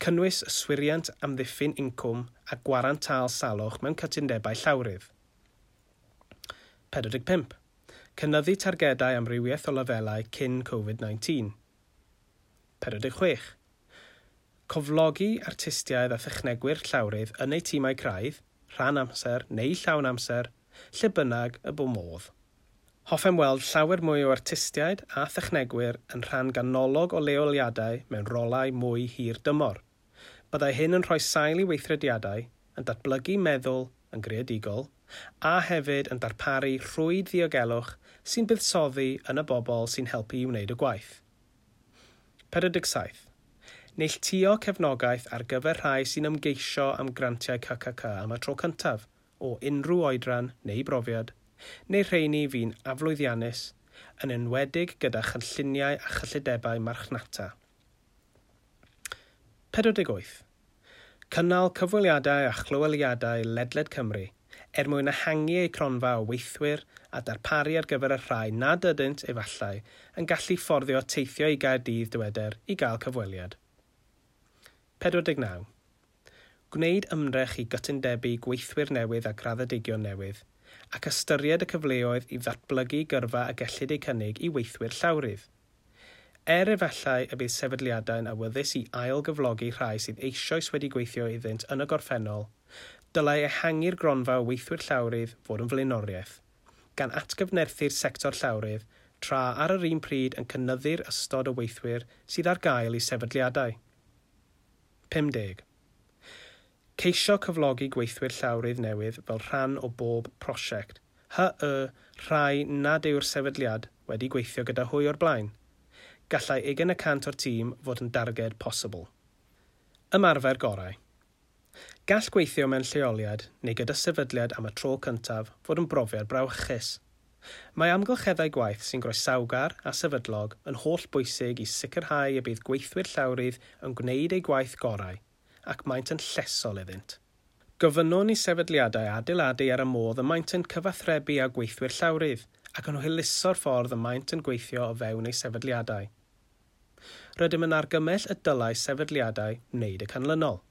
Cynnwys yswiriant amddiffyn incwm a gwarant tâl salwch mewn cytundebau llawrydd. pedwar deg pump. Cynyddu targedau amrywiaeth o lefelau cyn Covid nineteen. pedwar deg chwech. Cyflogi artistiaid a thechnegwyr llawrydd yn eu tîmau craidd, rhan amser neu llawn amser, lle bynnag y bo modd. Hoffem weld llawer mwy o artistiaid a thechnegwyr yn rhan ganolog o leoliadau mewn rolau mwy hir dymor. Byddai hyn yn rhoi sail i weithrediadau, yn datblygu meddwl yn greadigol, a hefyd yn darparu rhwyd ddiogelwch sy'n buddsoddi yn y bobl sy'n helpu i wneud y gwaith. pedwar deg saith. Neilltuo cefnogaeth ar gyfer rhai sy'n ymgeisio am grantiau C C C am y tro cyntaf, o unrhyw oedran neu brofiad, neu rheini fu'n aflwyddiannus, yn enwedig gyda chynlluniau a chyllidebau marchnata. pedwar deg wyth. Cynnal cyfweliadau a chlyweliadau ledled Cymru er mwyn ehangu eu cronfa o weithwyr a darparu ar gyfer y rhai nad ydynt efallai yn gallu fforddio teithio i Gaerdydd, dyweder, i gael cyfweliad. pedwar deg naw. Gwneud ymdrech i gytundebu gweithwyr newydd a graddedigion newydd ac ystyried y cyfleoedd i ddatblygu gyrfa y gellid eu cynnig i weithwyr llawrydd. Er efallai y bydd sefydliadau'n awyddus i ail gyflogi rhai sydd eisoes wedi gweithio iddynt yn y gorffennol, dylai ehangu'r gronfa o weithwyr llawrydd fod yn flaenoriaeth, gan atgyfnerthu'r sector llawrydd tra ar yr un pryd yn cynyddu'r ystod o weithwyr sydd ar gael i sefydliadau. pum deg. Ceisio cyflogi gweithwyr llawrydd newydd fel rhan o bob prosiect, hy y rhai nad yw'r sefydliad wedi gweithio gyda hwy o'r blaen. Gallai ugain y cant o'r tîm fod yn darged posibl. Ymarfer gorau. Gall gweithio mewn lleoliad neu gyda sefydliad am y tro cyntaf fod yn brofiad brawychus. Mae amgylcheddau gwaith sy'n groesawgar a sefydlog yn holl bwysig i sicrhau y bydd gweithwyr llawrydd yn gwneud eu gwaith gorau, ac maent yn llesol iddynt. Gofynnwn i sefydliadau adeiladu ar y modd y maent yn cyfathrebu â gweithwyr llawrydd ac yn hwyluso'r ffordd y maent yn gweithio o fewn eu sefydliadau. Rydym yn argymell y dylai sefydliadau wneud y canlynol.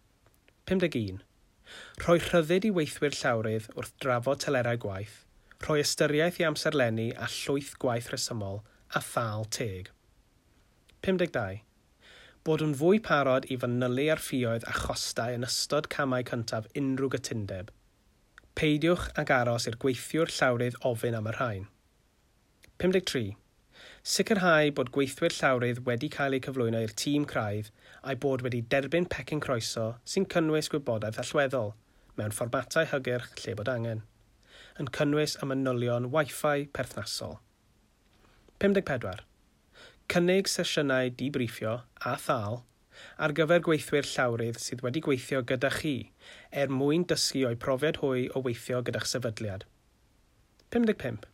pum deg un. Rhoi rhyddid i weithwyr llawrydd wrth drafod telerau gwaith, rhoi ystyriaeth i amserlenni a llwyth gwaith rhesymol a thâl teg. pum deg dau. Bod yn fwy parod i fanylu ar ffioedd a chostau yn ystod camau cyntaf unrhyw gytundeb. Peidiwch ag aros i'r gweithiwr llawrydd ofyn am y rhain. pum deg tri. Sicrhau bod gweithwyr llawrydd wedi cael eu cyflwyno i'r tîm craidd a'i bod wedi derbyn pecyn croeso sy'n cynnwys gwybodaeth allweddol mewn fformatau hygyrch lle bod angen, yn cynnwys y manylion Wi-Fi perthnasol. pum deg pedwar. Cynnig sesiynau debriefio â thâl ar gyfer gweithwyr llawrydd sydd wedi gweithio gyda chi er mwyn dysgu o'u profiad hwy o weithio gyda'ch sefydliad. pum deg pump.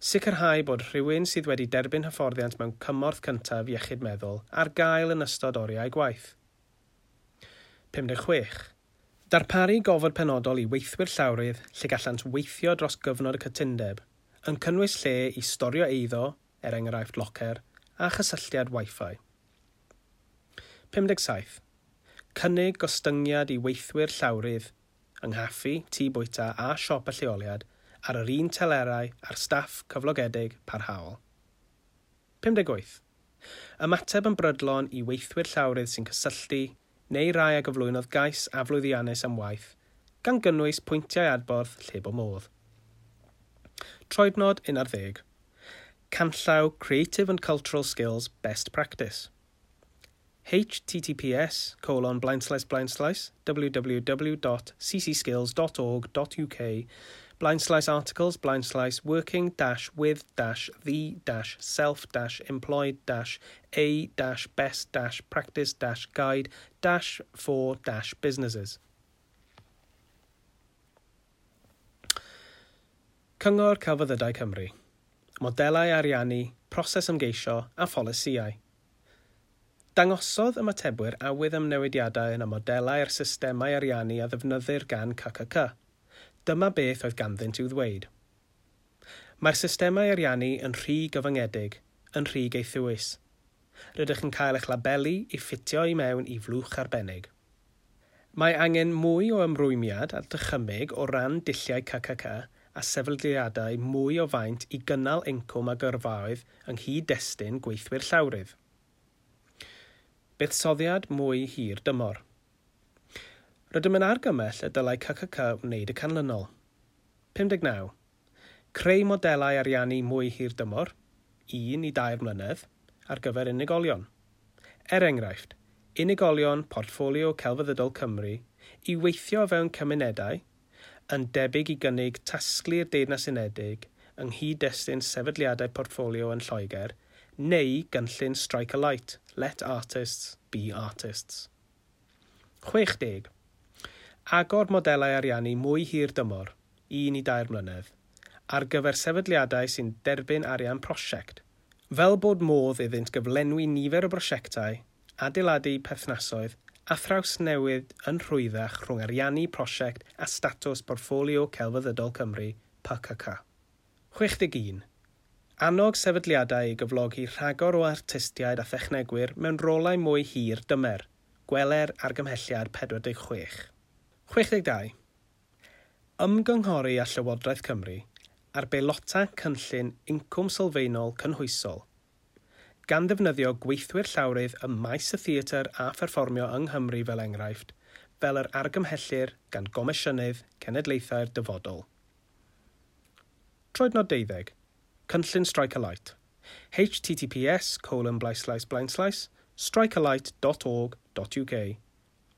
Sicrhau bod rhywun sydd wedi derbyn hyfforddiant mewn cymorth cyntaf iechyd meddwl ar gael yn ystod oriau gwaith. pum deg chwech. Darparu gofod penodol i weithwyr llawrydd lle gallant weithio dros gyfnod y cytundeb, yn cynnwys lle i storio eiddo, er enghraifft locer, a chysylltiad Wi-Fi. pum deg saith. Cynnig gostyngiad i weithwyr llawrydd yng nghaffi, tŷ bwyta a siop y lleoliad ar yr un telerau â'r staff cyflogedig parhaol. pum deg wyth. Ymateb yn brydlon i weithwyr llawrydd sy'n cysylltu neu rai a gyflwynodd gais aflwyddiannus am waith, gan gynnwys pwyntiau adborth lle bo modd. Troednod un ar ddeg. Canllaw Creative and Cultural Skills Best Practice. H T T P S colon blaenslaes blaenslaes W W W dot C C skills dot org dot U K blaenslaes articles blaenslaes working dash with dash the dash self dash employed dash a dash best dash practice dash guide dash for dash businesses. Cyngor Celfyddydau Cymru. Modelau ariannu, proses ymgeisio a pholisïau. Dangosodd ymatebwyr awydd am newidiadau yn y modelau a'r systemau ariannu a ddefnyddir gan C C C. Dyma beth oedd ganddynt i'w ddweud. Mae'r systemau ariannu yn rhy gyfyngedig, yn rhy gaethiwus. Rydych yn cael eich labelu i ffitio i mewn i flwch arbennig. Mae angen mwy o ymrwymiad a dychymyg o ran dulliau C C C a sefydliadau mwy o faint i gynnal incwm a gyrfaoedd yng nghyd-destun gweithwyr llawrydd. Buddsoddiad mwy hir dymor. Rydym yn argymell y dylai C C C wneud y canlynol. pum deg naw. Creu modelau ariannu mwy hir dymor, un i dair mlynedd, ar gyfer unigolion. Er enghraifft, unigolion Portffolio Celfyddydol Cymru i weithio fewn cymunedau, yn debyg i gynnig tasglu'r Deyrnas Unedig yng nghyd-destun sefydliadau portffolio yn Lloegr, neu gynllun Strike a Light, Let Artists Be Artists. chwe deg. Agor modelau ariannu mwy hir dymor, un i dair mlynedd, ar gyfer sefydliadau sy'n derbyn arian prosiect, fel bod modd iddynt gyflenwi nifer o brosiectau, adeiladu perthnasoedd a thrawsnewid yn rhwyddach rhwng ariannu prosiect a statws Portffolio Celfyddydol Cymru, P C C. chwe deg un. Annog sefydliadau i gyflogi rhagor o artistiaid a thechnegwyr mewn rolau mwy hir dymer. Gweler argymhelliad pedwar deg chwech. chwe deg dau. Ymgynghori â Llywodraeth Cymru ar beilota cynllun incwm sylfaenol cynhwysol, gan ddefnyddio gweithwyr llawrydd ym maes y theatr a pherfformio yng Nghymru fel enghraifft, fel yr argymhellir gan Gomisiynydd Cenedlaethau'r Dyfodol. Troednod deuddeg. Cynllun Strike a Light. H T T P S colon blaenslaes blaenslaes strikealight dot org dot U K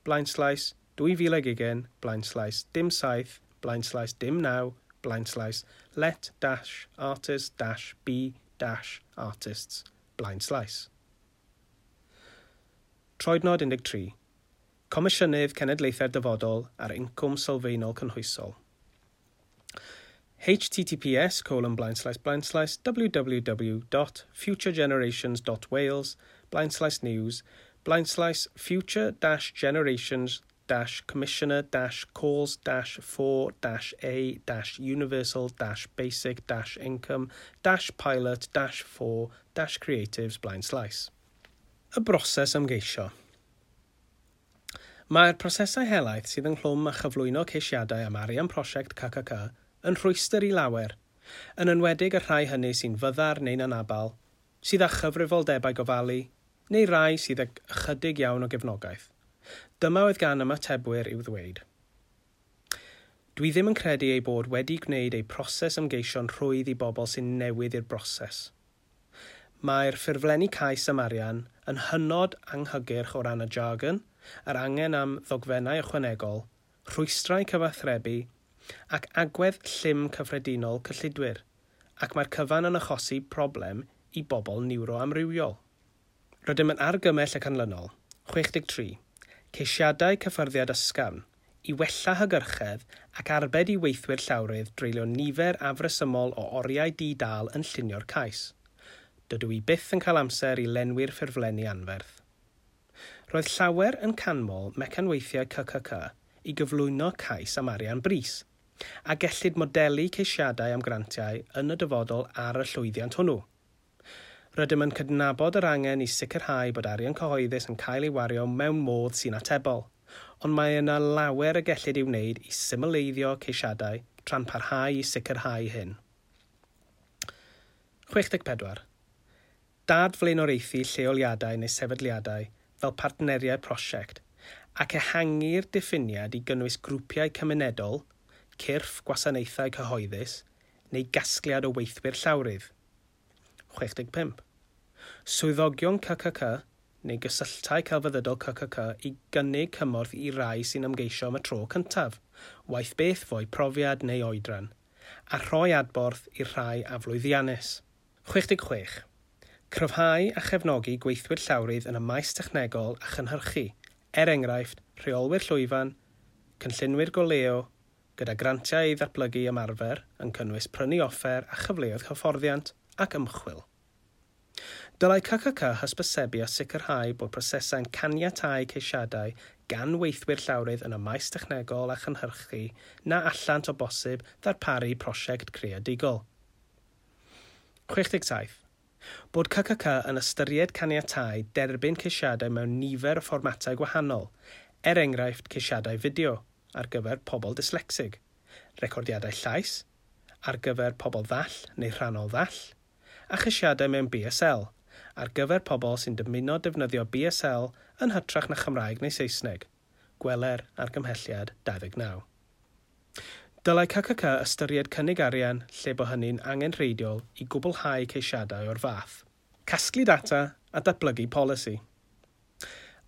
blaenslaes dwy fil ag ugain blaenslaes dim saith blaenslaes dim naw blaenslaes let dash artist dash be dash artists blaenslaes. Troednod un deg tri. Comisiynydd Cenedlaethau'r Dyfodol ar Incwm Sylfaenol Cynhwysol. H T T P S colon blaenslaes blaenslaes w w w dot futuregenerations dot wales blaenslaes news blaenslaes future dash generations dash commissioner dash calls dash for dash a dash universal dash basic dash income dash pilot dash for dash creatives blaenslaes. Y broses ymgeisio. Mae'r prosesau helaeth sydd ynghlwm â chyflwyno ceisiadau am arian prosiect C C C yn rhwystr i lawer, yn enwedig y rhai hynny sy'n fyddar neu'n anabal, sydd â chyfrifoldebau gofalu, neu rai sydd ag ychydig iawn o gefnogaeth. Dyma oedd gan ymatebwyr i'w ddweud. Dwi ddim yn credu ei bod wedi gwneud ei proses ymgeisio'n rhwydd i bobl sy'n newydd i'r broses. Mae'r ffurflenni cais am arian yn hynod anghygyrch o ran y jargon, yr angen am ddogfennau ychwanegol, rhwystrau cyfathrebu ac agwedd llym cyffredinol cyllidwyr, ac mae'r cyfan yn achosi problem i bobl niwroamrywiol. Rydym yn argymell y canlynol. chwe deg tri. Ceisiadau cyffyrddiad ysgafn i wella hygyrchedd ac arbed i weithwyr llawrydd dreulio nifer afresymol o oriau di-dal yn llunio'r cais. Dydw i byth yn cael amser i lenwi'r ffurflenni anferth. Roedd llawer yn canmol mecanweithiau C C C i gyflwyno cais am arian brys, a gellid modelu ceisiadau am grantiau yn y dyfodol ar y llwyddiant hwnnw. Rydym yn cydnabod yr angen i sicrhau bod arian cyhoeddus yn cael ei wario mewn modd sy'n atebol, ond mae yna lawer y gellid ei wneud i symleiddio ceisiadau tra'n parhau i sicrhau hyn. chwe deg pedwar. Dad-flaenoriaethu lleoliadau neu sefydliadau fel partneriaid prosiect ac ehangu'r diffiniad i gynnwys grwpiau cymunedol, cyrff gwasanaethau cyhoeddus neu gasgliad o weithwyr llawrydd. chwe deg pump. Swyddogion C C C neu gysylltau celfyddydol C C C i gynnig cymorth i rai sy'n ymgeisio am y tro cyntaf, waeth beth fo'u profiad neu oedran, a rhoi adborth i'r rhai aflwyddiannus. chwe deg chwech. Cryfhau a chefnogi gweithwyr llawrydd yn y maes technegol a chynhyrchu, er enghraifft, rheolwyr llwyfan, cynllunwyr goleuo, gyda grantiau i ddatblygu ymarfer yn cynnwys prynu offer a chyfleoedd hyfforddiant ac ymchwil. Dylai C C C hysbysebu a sicrhau bod prosesau'n caniatáu ceisiadau gan weithwyr llawrydd yn y maes technegol a chynhyrchu na allant o bosib ddarparu prosiect creadigol. chwe deg saith. Bod C C C yn ystyried caniatáu derbyn ceisiadau mewn nifer o fformatau gwahanol, er enghraifft ceisiadau fideo ar gyfer pobl dyslecsig, recordiadau llais ar gyfer pobl ddall neu rhannol ddall, a cheisiadau mewn B S L ar gyfer pobl sy'n dymuno defnyddio B S L yn hytrach na Chymraeg neu Saesneg. Gweler argymhelliad dau ddeg naw. Dylai C C C ystyried cynnig arian lle bo hynny'n angenrheidiol i gwblhau ceisiadau o'r fath. Casglu data a datblygu polisi.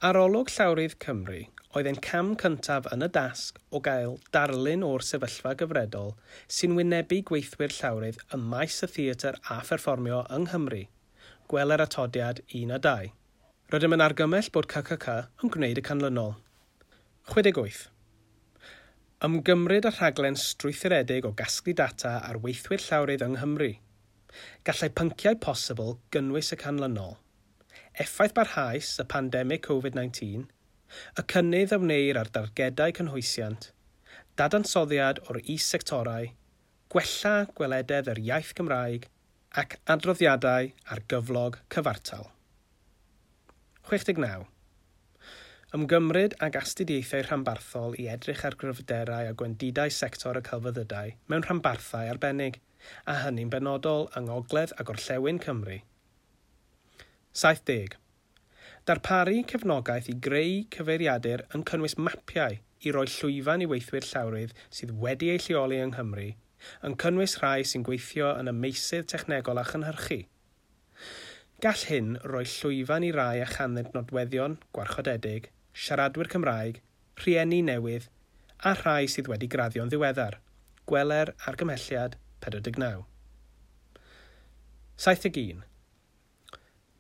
Arolwg Llawrydd Cymru oedd ein cam cyntaf yn y dasg o gael darlun o'r sefyllfa gyfredol sy'n wynebu gweithwyr llawrydd ym maes y theatr a pherfformio yng Nghymru. Gweler atodiad un a dau. Rydym yn argymell bod C C C yn gwneud y canlynol. chwe deg wyth. Ymgymryd â rhaglen strwythuredig o gasglu data ar weithwyr llawrydd yng Nghymru. Gallai pynciau posibl gynnwys y canlynol: Effaith barhaus y pandemig Covid nineteen, y cynnydd a wneir ar dargedau cynhwysiant, dadansoddiad o'r is-sectorau, gwella gwelededd yr iaith Gymraeg ac adroddiadau ar gyflog cyfartal. chwe deg naw. Ymgymryd ag astudiaethau rhanbarthol i edrych ar gryfderau a gwendidau sector y celfyddydau mewn rhanbarthau arbennig, a hynny'n benodol yng Ngogledd a Gorllewin Cymru. saith deg. Darparu cefnogaeth i greu cyfeiriadur yn cynnwys mapiau i roi llwyfan i weithwyr llawrydd sydd wedi eu lleoli yng Nghymru, yn cynnwys rhai sy'n gweithio yn y meysydd technegol a chynhyrchu. Gall hyn roi llwyfan i rai a chanddynt nodweddion gwarchodedig, siaradwyr Cymraeg, rhieni newydd a rhai sydd wedi graddio'n ddiweddar. Gweler argymhelliad pedwar deg naw. saith deg un.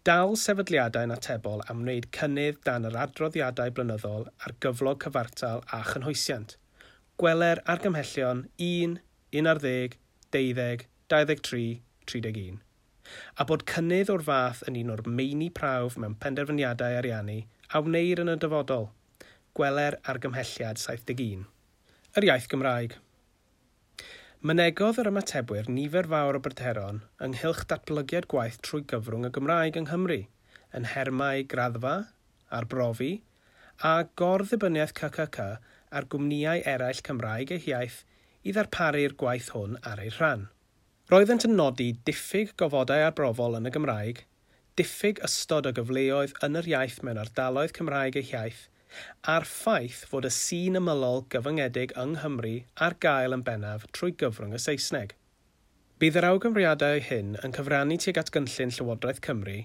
Dal sefydliadau'n atebol am wneud cynnydd dan yr adroddiadau blynyddol ar gyflog cyfartal a chynhwysiant. Gweler argymhellion un, un ar ddeg, deuddeg, dau ddeg tri, tri deg un, a bod cynnydd o'r fath yn un o'r meini prawf mewn penderfyniadau ariannu a wneir yn y dyfodol. Gweler argymhelliad saith deg un. Yr iaith Gymraeg. Mynegodd yr ymatebwyr nifer fawr o bryderon ynghylch datblygiad gwaith trwy gyfrwng y Gymraeg yng Nghymru, yn nhermau graddfa, arbrofi, a gor-ddibyniaeth C C C ar gwmnïau eraill Cymraeg eu hiaith i ddarparu'r gwaith hwn ar ei rhan. Roeddent yn nodi diffyg gofodau arbrofol yn y Gymraeg, diffyg ystod o gyfleoedd yn yr iaith mewn ardaloedd Cymraeg eu hiaith, a'r ffaith fod y sîn ymylol gyfyngedig yng Nghymru ar gael yn bennaf trwy gyfrwng y Saesneg. Bydd yr awgrymiadau hyn yn cyfrannu tuag at gynllun Llywodraeth Cymru,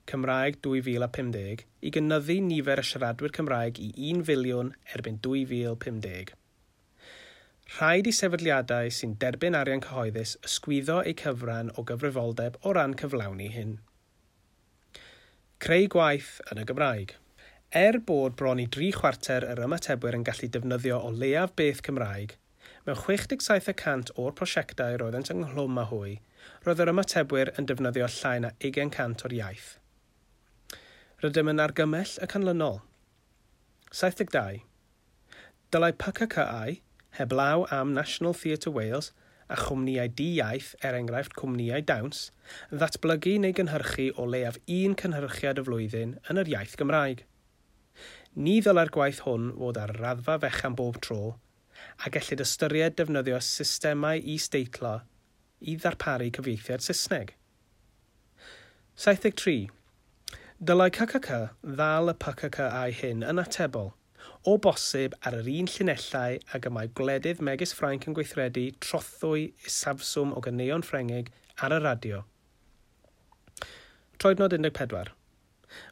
Cymraeg dwy fil a pum deg, i gynyddu nifer y siaradwyr Cymraeg i un filiwn erbyn dwy fil pum deg. Rhaid i sefydliadau sy'n derbyn arian cyhoeddus ysgwyddo eu cyfran o gyfrifoldeb o ran cyflawni hyn. Creu gwaith yn y Gymraeg. Er bod bron i dri chwarter yr ymatebwyr yn gallu defnyddio o leiaf beth Cymraeg, mewn chwech deg saith y cant o'r prosiectau roeddent ynghlwm â hwy, roedd yr ymatebwyr yn defnyddio llai na ugain cant o'r iaith. Rydym yn argymell y canlynol. saith deg dau. Dylai P C C I, heblaw am National Theatre Wales a chwmnïau di-iaith, er enghraifft cwmnïau dawns, ddatblygu neu gynhyrchu o leiaf un cynhyrchiad y flwyddyn yn yr iaith Gymraeg. Ni ddylai'r gwaith hwn fod ar raddfa fechan bob tro, a gellid ystyried defnyddio systemau is-deitlo i ddarparu cyfieithiad Saesneg. saith deg tri. Dylai C C C ddal y P C C I hyn yn atebol, o bosib ar yr un llinellau ag y mae gwledydd megis Ffrainc yn gweithredu trothwy isafswm o ganeuon Ffrengig ar y radio. Troednod un deg pedwar.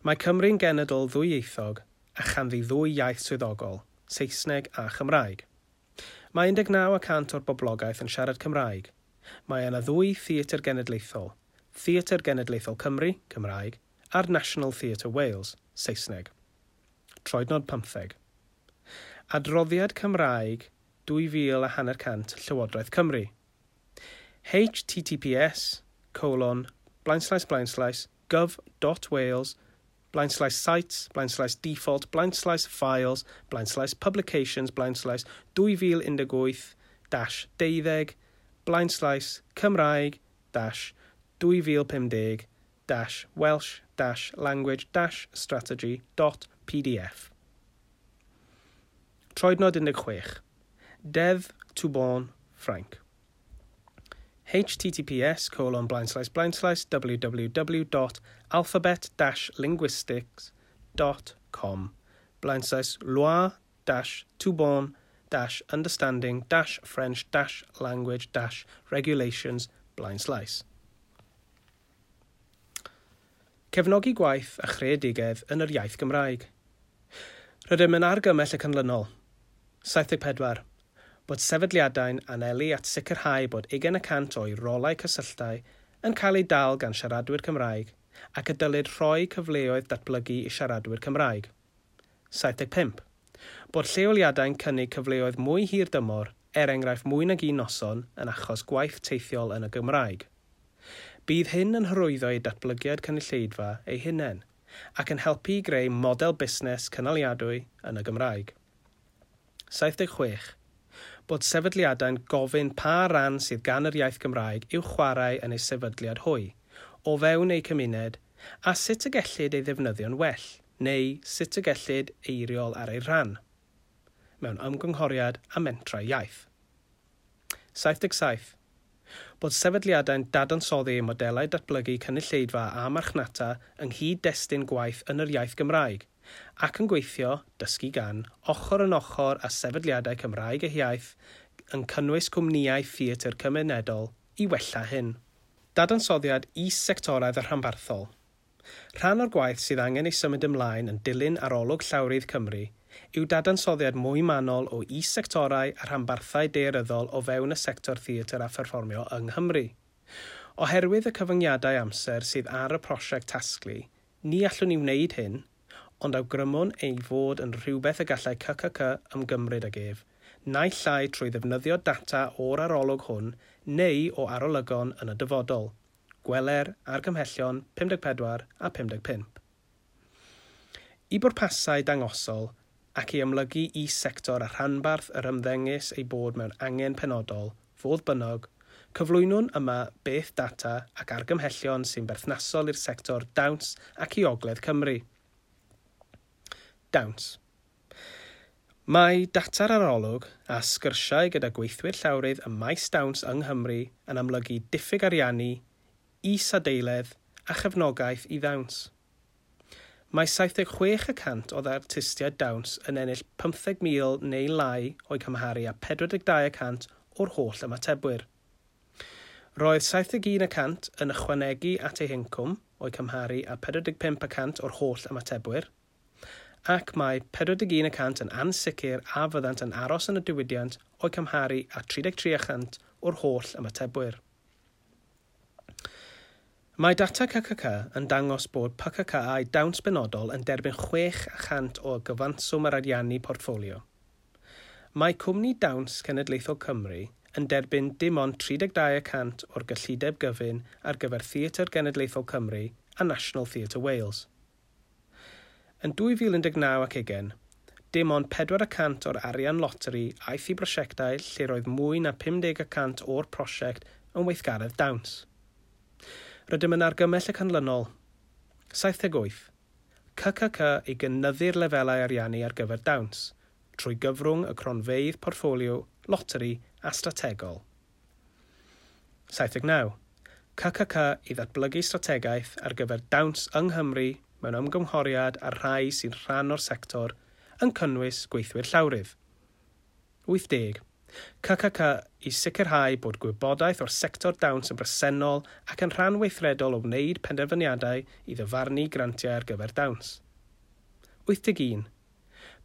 Mae Cymru'n genedl ddwyieithog a chanddi ddwy iaith swyddogol, Saesneg a Chymraeg. Mae un deg naw y cant o'r boblogaeth yn siarad Cymraeg. Mae yna ddwy theatr genedlaethol, Theatr Genedlaethol Cymru, Cymraeg, a'r National Theatre Wales, Saesneg. Troednod pymtheg. Adroddiad Cymraeg dwy fil a hanner cant Llywodraeth Cymru. H T T P S colon blaenslaes blaenslaes gov dot wales blaenslaes sites blaenslaes default blaenslaes files blaenslaes publications blaenslaes dwy fil un deg wyth dash deuddeg blaenslaes Cymraeg dash dwy fil pum deg dash Welsh dash language dash strategy dot P D F. Troednod un deg chwech. Deddf Toubon, Ffrainc. H T T P S colon blaenslaes blaenslaes w w w dot alphabet dash linguistics dot com blaenslaes loi dash Toubon dash understanding dash French dash language dash regulations blaenslaes. Cefnogi gwaith a chreadigedd yn yr iaith Gymraeg. Rydym yn argymell y canlynol. saith deg pedwar. Bod sefydliadau'n anelu at sicrhau bod ugain y cant o'i rolau cysylltau yn cael eu dal gan siaradwyr Cymraeg ac y dylid rhoi cyfleoedd datblygu i siaradwyr Cymraeg. saith deg pump. Bod lleoliadau'n cynnig cyfleoedd mwy hir dymor, er enghraifft mwy nag un noson, yn achos gwaith teithiol yn y Gymraeg. Bydd hyn yn hyrwyddo eu datblygiad cynulleidfa eu hunain ac yn helpu i greu model busnes cynaliadwy yn y Gymraeg. saith deg chwech. Bod sefydliadau'n gofyn pa ran sydd gan yr iaith Gymraeg i'w chwarae yn eu sefydliad hwy, o fewn eu cymuned, a sut y gellid ei ddefnyddio'n well, neu sut y gellid eiriol ar ei rhan, mewn ymgynghoriad a mentrau iaith. saith deg saith. Bod sefydliadau'n dadansoddi eu modelau datblygu cynulleidfa a marchnata yng nghyd-destun gwaith yn yr iaith Gymraeg, ac yn gweithio, dysgu gan, ochr yn ochr â sefydliadau Cymraeg eu hiaith yn cynnwys cwmnïau theatr cymunedol i wella hyn. Dadansoddiad is-sectoraidd a rhanbarthol. Rhan o'r gwaith sydd angen ei symud ymlaen yn dilyn arolwg llawrydd Cymru yw dadansoddiad mwy manwl o is-sectorau a rhanbarthau daearyddol o fewn y sector theatr a pherfformio yng Nghymru. Oherwydd y cyfyngiadau amser sydd ar y prosiect tasglu, ni allwn ni wneud hyn, ond awgrymwn ei fod yn rhywbeth y gallai C C C ymgymryd ag ef, naill ai trwy ddefnyddio data o'r arolwg hwn neu o arolygon yn y dyfodol. Gweler argymhellion pum deg pedwar a pum deg pump. I bwrpasau dangosol ac i amlygu is-sector a rhanbarth yr ymddengys ei bod mewn angen penodol, fodd bynnag, cyflwynwn yma beth data ac argymhellion sy'n berthnasol i'r sector dawns ac i Ogledd Cymru. Dawns. Mae data'r arolwg a sgyrsiau gyda gweithwyr llawrydd ym maes dawns yng Nghymru yn amlygu diffyg ariannu, is-adeiledd a chefnogaeth i ddawns. Mae saith deg chwech y cant o artistiaid dawns yn ennill pymtheg mil neu lai o'i cymharu â pedwar deg dau y cant o'r holl ymatebwyr. Roedd saith deg un y cant yn ychwanegu at eu hincwm o'i cymharu â pedwar deg pump y cant o'r holl ymatebwyr, ac mae pedwar deg un y cant yn ansicr a fyddant yn aros yn y diwydiant o'i cymharu â tri deg tri y cant o'r holl ymatebwyr. Mae data C C C yn dangos bod P C C au dawns benodol yn derbyn chwech y cant o gyfanswm yr ariannu portffolio. Mae Cwmni Dawns Cenedlaethol Cymru yn derbyn dim ond tri deg dau y cant o'r gyllideb gyfun ar gyfer Theatr Genedlaethol Cymru a National Theatre Wales. Yn dwy fil un deg naw ac ugain, dim ond pedwar y cant o'r arian loteri aeth i brosiectau lle roedd mwy na pum deg y cant o'r prosiect yn weithgaredd dawns. Rydym yn argymell y canlynol. saith deg wyth. C C C i gynyddu'r lefelau ariannu ar gyfer dawns, trwy gyfrwng y cronfeydd portffolio, loteri a strategol. saith deg naw. C C C i ddatblygu strategaeth ar gyfer dawns yng Nghymru mewn ymgynghoriad â'r rhai sy'n rhan o'r sector yn cynnwys gweithwyr llawrydd. wyth deg. C C C i sicrhau bod gwybodaeth o'r sector dawns yn bresennol ac yn rhan weithredol o wneud penderfyniadau i ddyfarnu grantiau ar gyfer dawns. wyth deg un.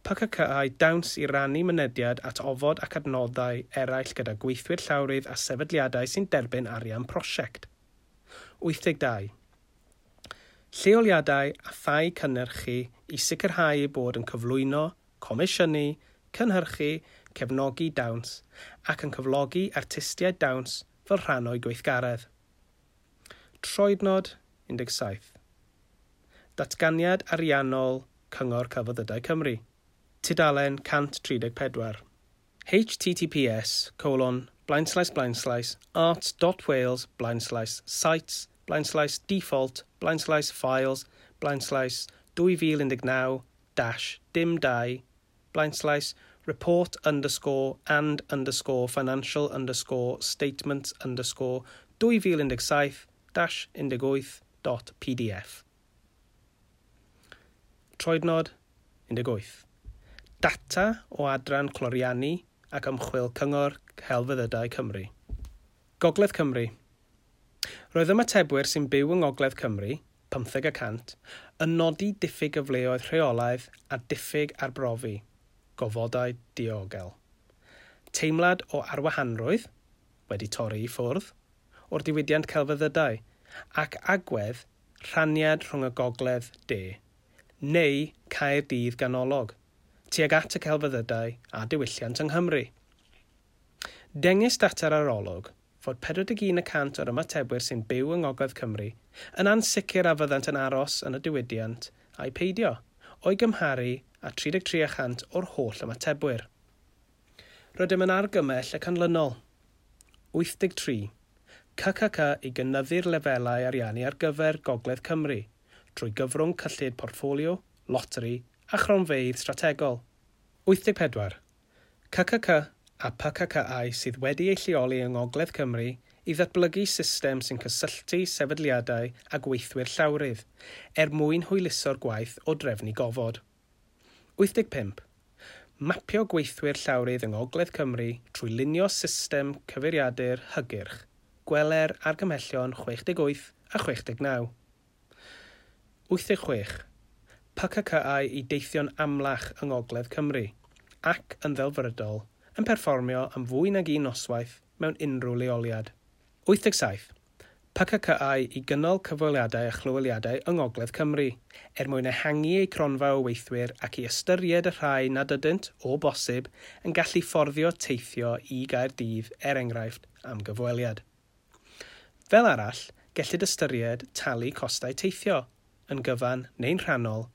P C C au dawns i rannu mynediad at ofod ac adnoddau eraill gyda gweithwyr llawrydd a sefydliadau sy'n derbyn arian prosiect. wyth deg dau. Lleoliadau a thai cynhyrchu i sicrhau eu bod yn cyflwyno, comisiynu, cynhyrchu, cefnogi dawns ac yn cyflogi artistiaid dawns fel rhan o'i gweithgaredd. Troednod un deg saith. Datganiad ariannol Cyngor Celfyddydau Cymru. Tudalen cant tri deg pedwar. H T T P S colon blaenslaes blaenslaes arts dot wales blaenslaes sites blaenslaes default blaenslaes files blaenslaes dwy fil un deg naw dash dim dau blaenslaes report underscore and underscore financial underscore statements underscore dwy fil un deg saith dash un deg wyth dot P D F. Troednod un deg wyth. Data o adran cloriannu ac ymchwil Cyngor Celfyddydau Cymru. Gogledd Cymru. Roedd ymatebwyr sy'n byw yng Ngogledd Cymru, pymtheg y cant, yn nodi diffyg gyfleoedd rheolaidd a diffyg arbrofi, gofodau diogel. Teimlad o arwahanrwydd, wedi torri i ffwrdd, o'r diwydiant celfyddydau, ac agwedd rhaniad rhwng y gogledd de, neu Caerdydd ganolog, tuag at y celfyddydau a diwylliant yng Nghymru. Dengys data'r arolwg fod pedwar deg un y cant o'r ymatebwyr sy'n byw yng Ngogledd Cymru yn ansicr a fyddant yn aros yn y diwydiant a'i peidio, o'i gymharu â tri deg tri y cant o'r holl ymatebwyr. Rydym yn argymell y canlynol. wyth deg tri. C C C i gynyddu'r lefelau ariannu ar gyfer Gogledd Cymru trwy gyfrwng cyllid portffolio, loteri a chronfeydd strategol. wyth deg pedwar. C C C a P C C au sydd wedi eu lleoli yng Ngogledd Cymru i ddatblygu system sy'n cysylltu sefydliadau a gweithwyr llawrydd er mwyn hwyluso'r gwaith o drefnu gofod. wyth deg pump. Mapio gweithwyr llawrydd yng Ngogledd Cymru trwy lunio system cyfeiriadur hygyrch. Gweler argymhellion chwech deg wyth a chwech deg naw. wyth deg chwech. P C C au i deithio'n amlach yng Ngogledd Cymru ac yn ddelfrydol yn perfformio am fwy nag un noswaith mewn unrhyw leoliad. wyth deg saith. P C C I i gynnal cyfweliadau a chlyweliadau yng Ngogledd Cymru, er mwyn ehangu eu cronfa o weithwyr ac i ystyried y rhai nad ydynt, o bosib, yn gallu fforddio teithio i Gaerdydd, er enghraifft, am gyfweliad. Fel arall, gellid ystyried talu costau teithio, yn gyfan neu'n rhannol,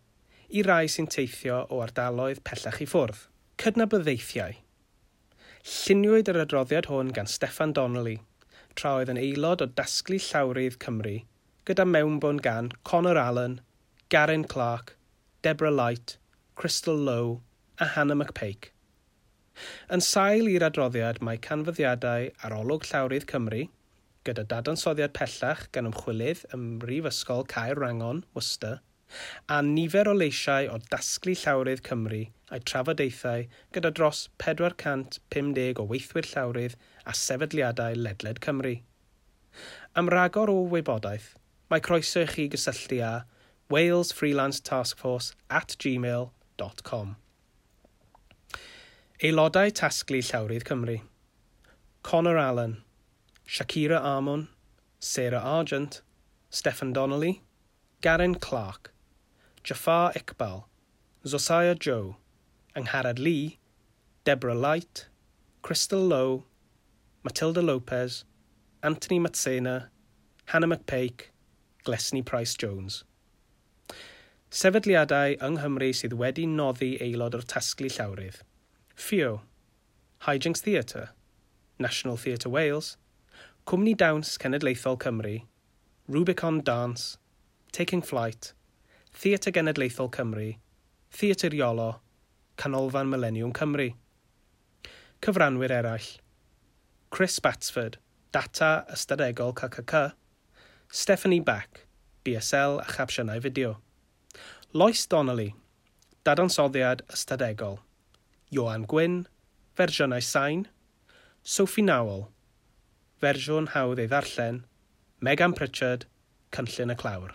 i rai sy'n teithio o ardaloedd pellach i ffwrdd. Cydnabyddiaethau. Lluniwyd yr adroddiad hwn gan Steffan Donnelly, tra oedd yn aelod o Dasglu Llawrydd Cymru, gyda mewnbwn gan Conor Allen, Garin Clark, Deborah Light, Crystal Lowe a Hannah McPake. Yn sail i'r adroddiad mae canfyddiadau Arolwg Llawrydd Cymru, gyda dadansoddiad pellach gan ymchwilydd ym Mhrifysgol Caerwrangon, Worcester, a nifer o leisiau o Dasglu Llawrydd Cymru a'i trafodaethau gyda dros pedwar cant pum deg o weithwyr llawrydd a sefydliadau ledled Cymru. Am ragor o wybodaeth, mae croeso i chi gysylltu â walesfreelanceTaskforce at gmail dot com. Aelodau Tasglu Llawrydd Cymru: Conor Allen, Shakira Armon, Sarah Argent, Stephen Donnelly, Garin Clark, Jafar Iqbal, Zosiah Joe, Angharad Lee, Deborah Light, Crystal Lowe, Matilda Lopez, Anthony Matsena, Hannah McPake, Glesni Price-Jones. Sefydliadau yng Nghymru sydd wedi noddi aelod o'r Tasglu Llawrydd: F I O, Hijinx Theatre, National Theatre Wales, Cwmni Dawns Cenedlaethol Cymru, Rubicon Dance, Taking Flight, Theatr Genedlaethol Cymru, Theatr Iolo, Canolfan Millennium Cymru. Cyfranwyr eraill: Chris Batsford, Data Ystadegol C C C, Stephanie Back, B S L a chapsiynau fideo. Lois Donnelly, Dadansoddiad Ystadegol. Ioan Gwyn, fersiynau sain. Sophie Nowell, fersiwn hawdd ei ddarllen. Megan Pritchard, Cynllun y Clawr.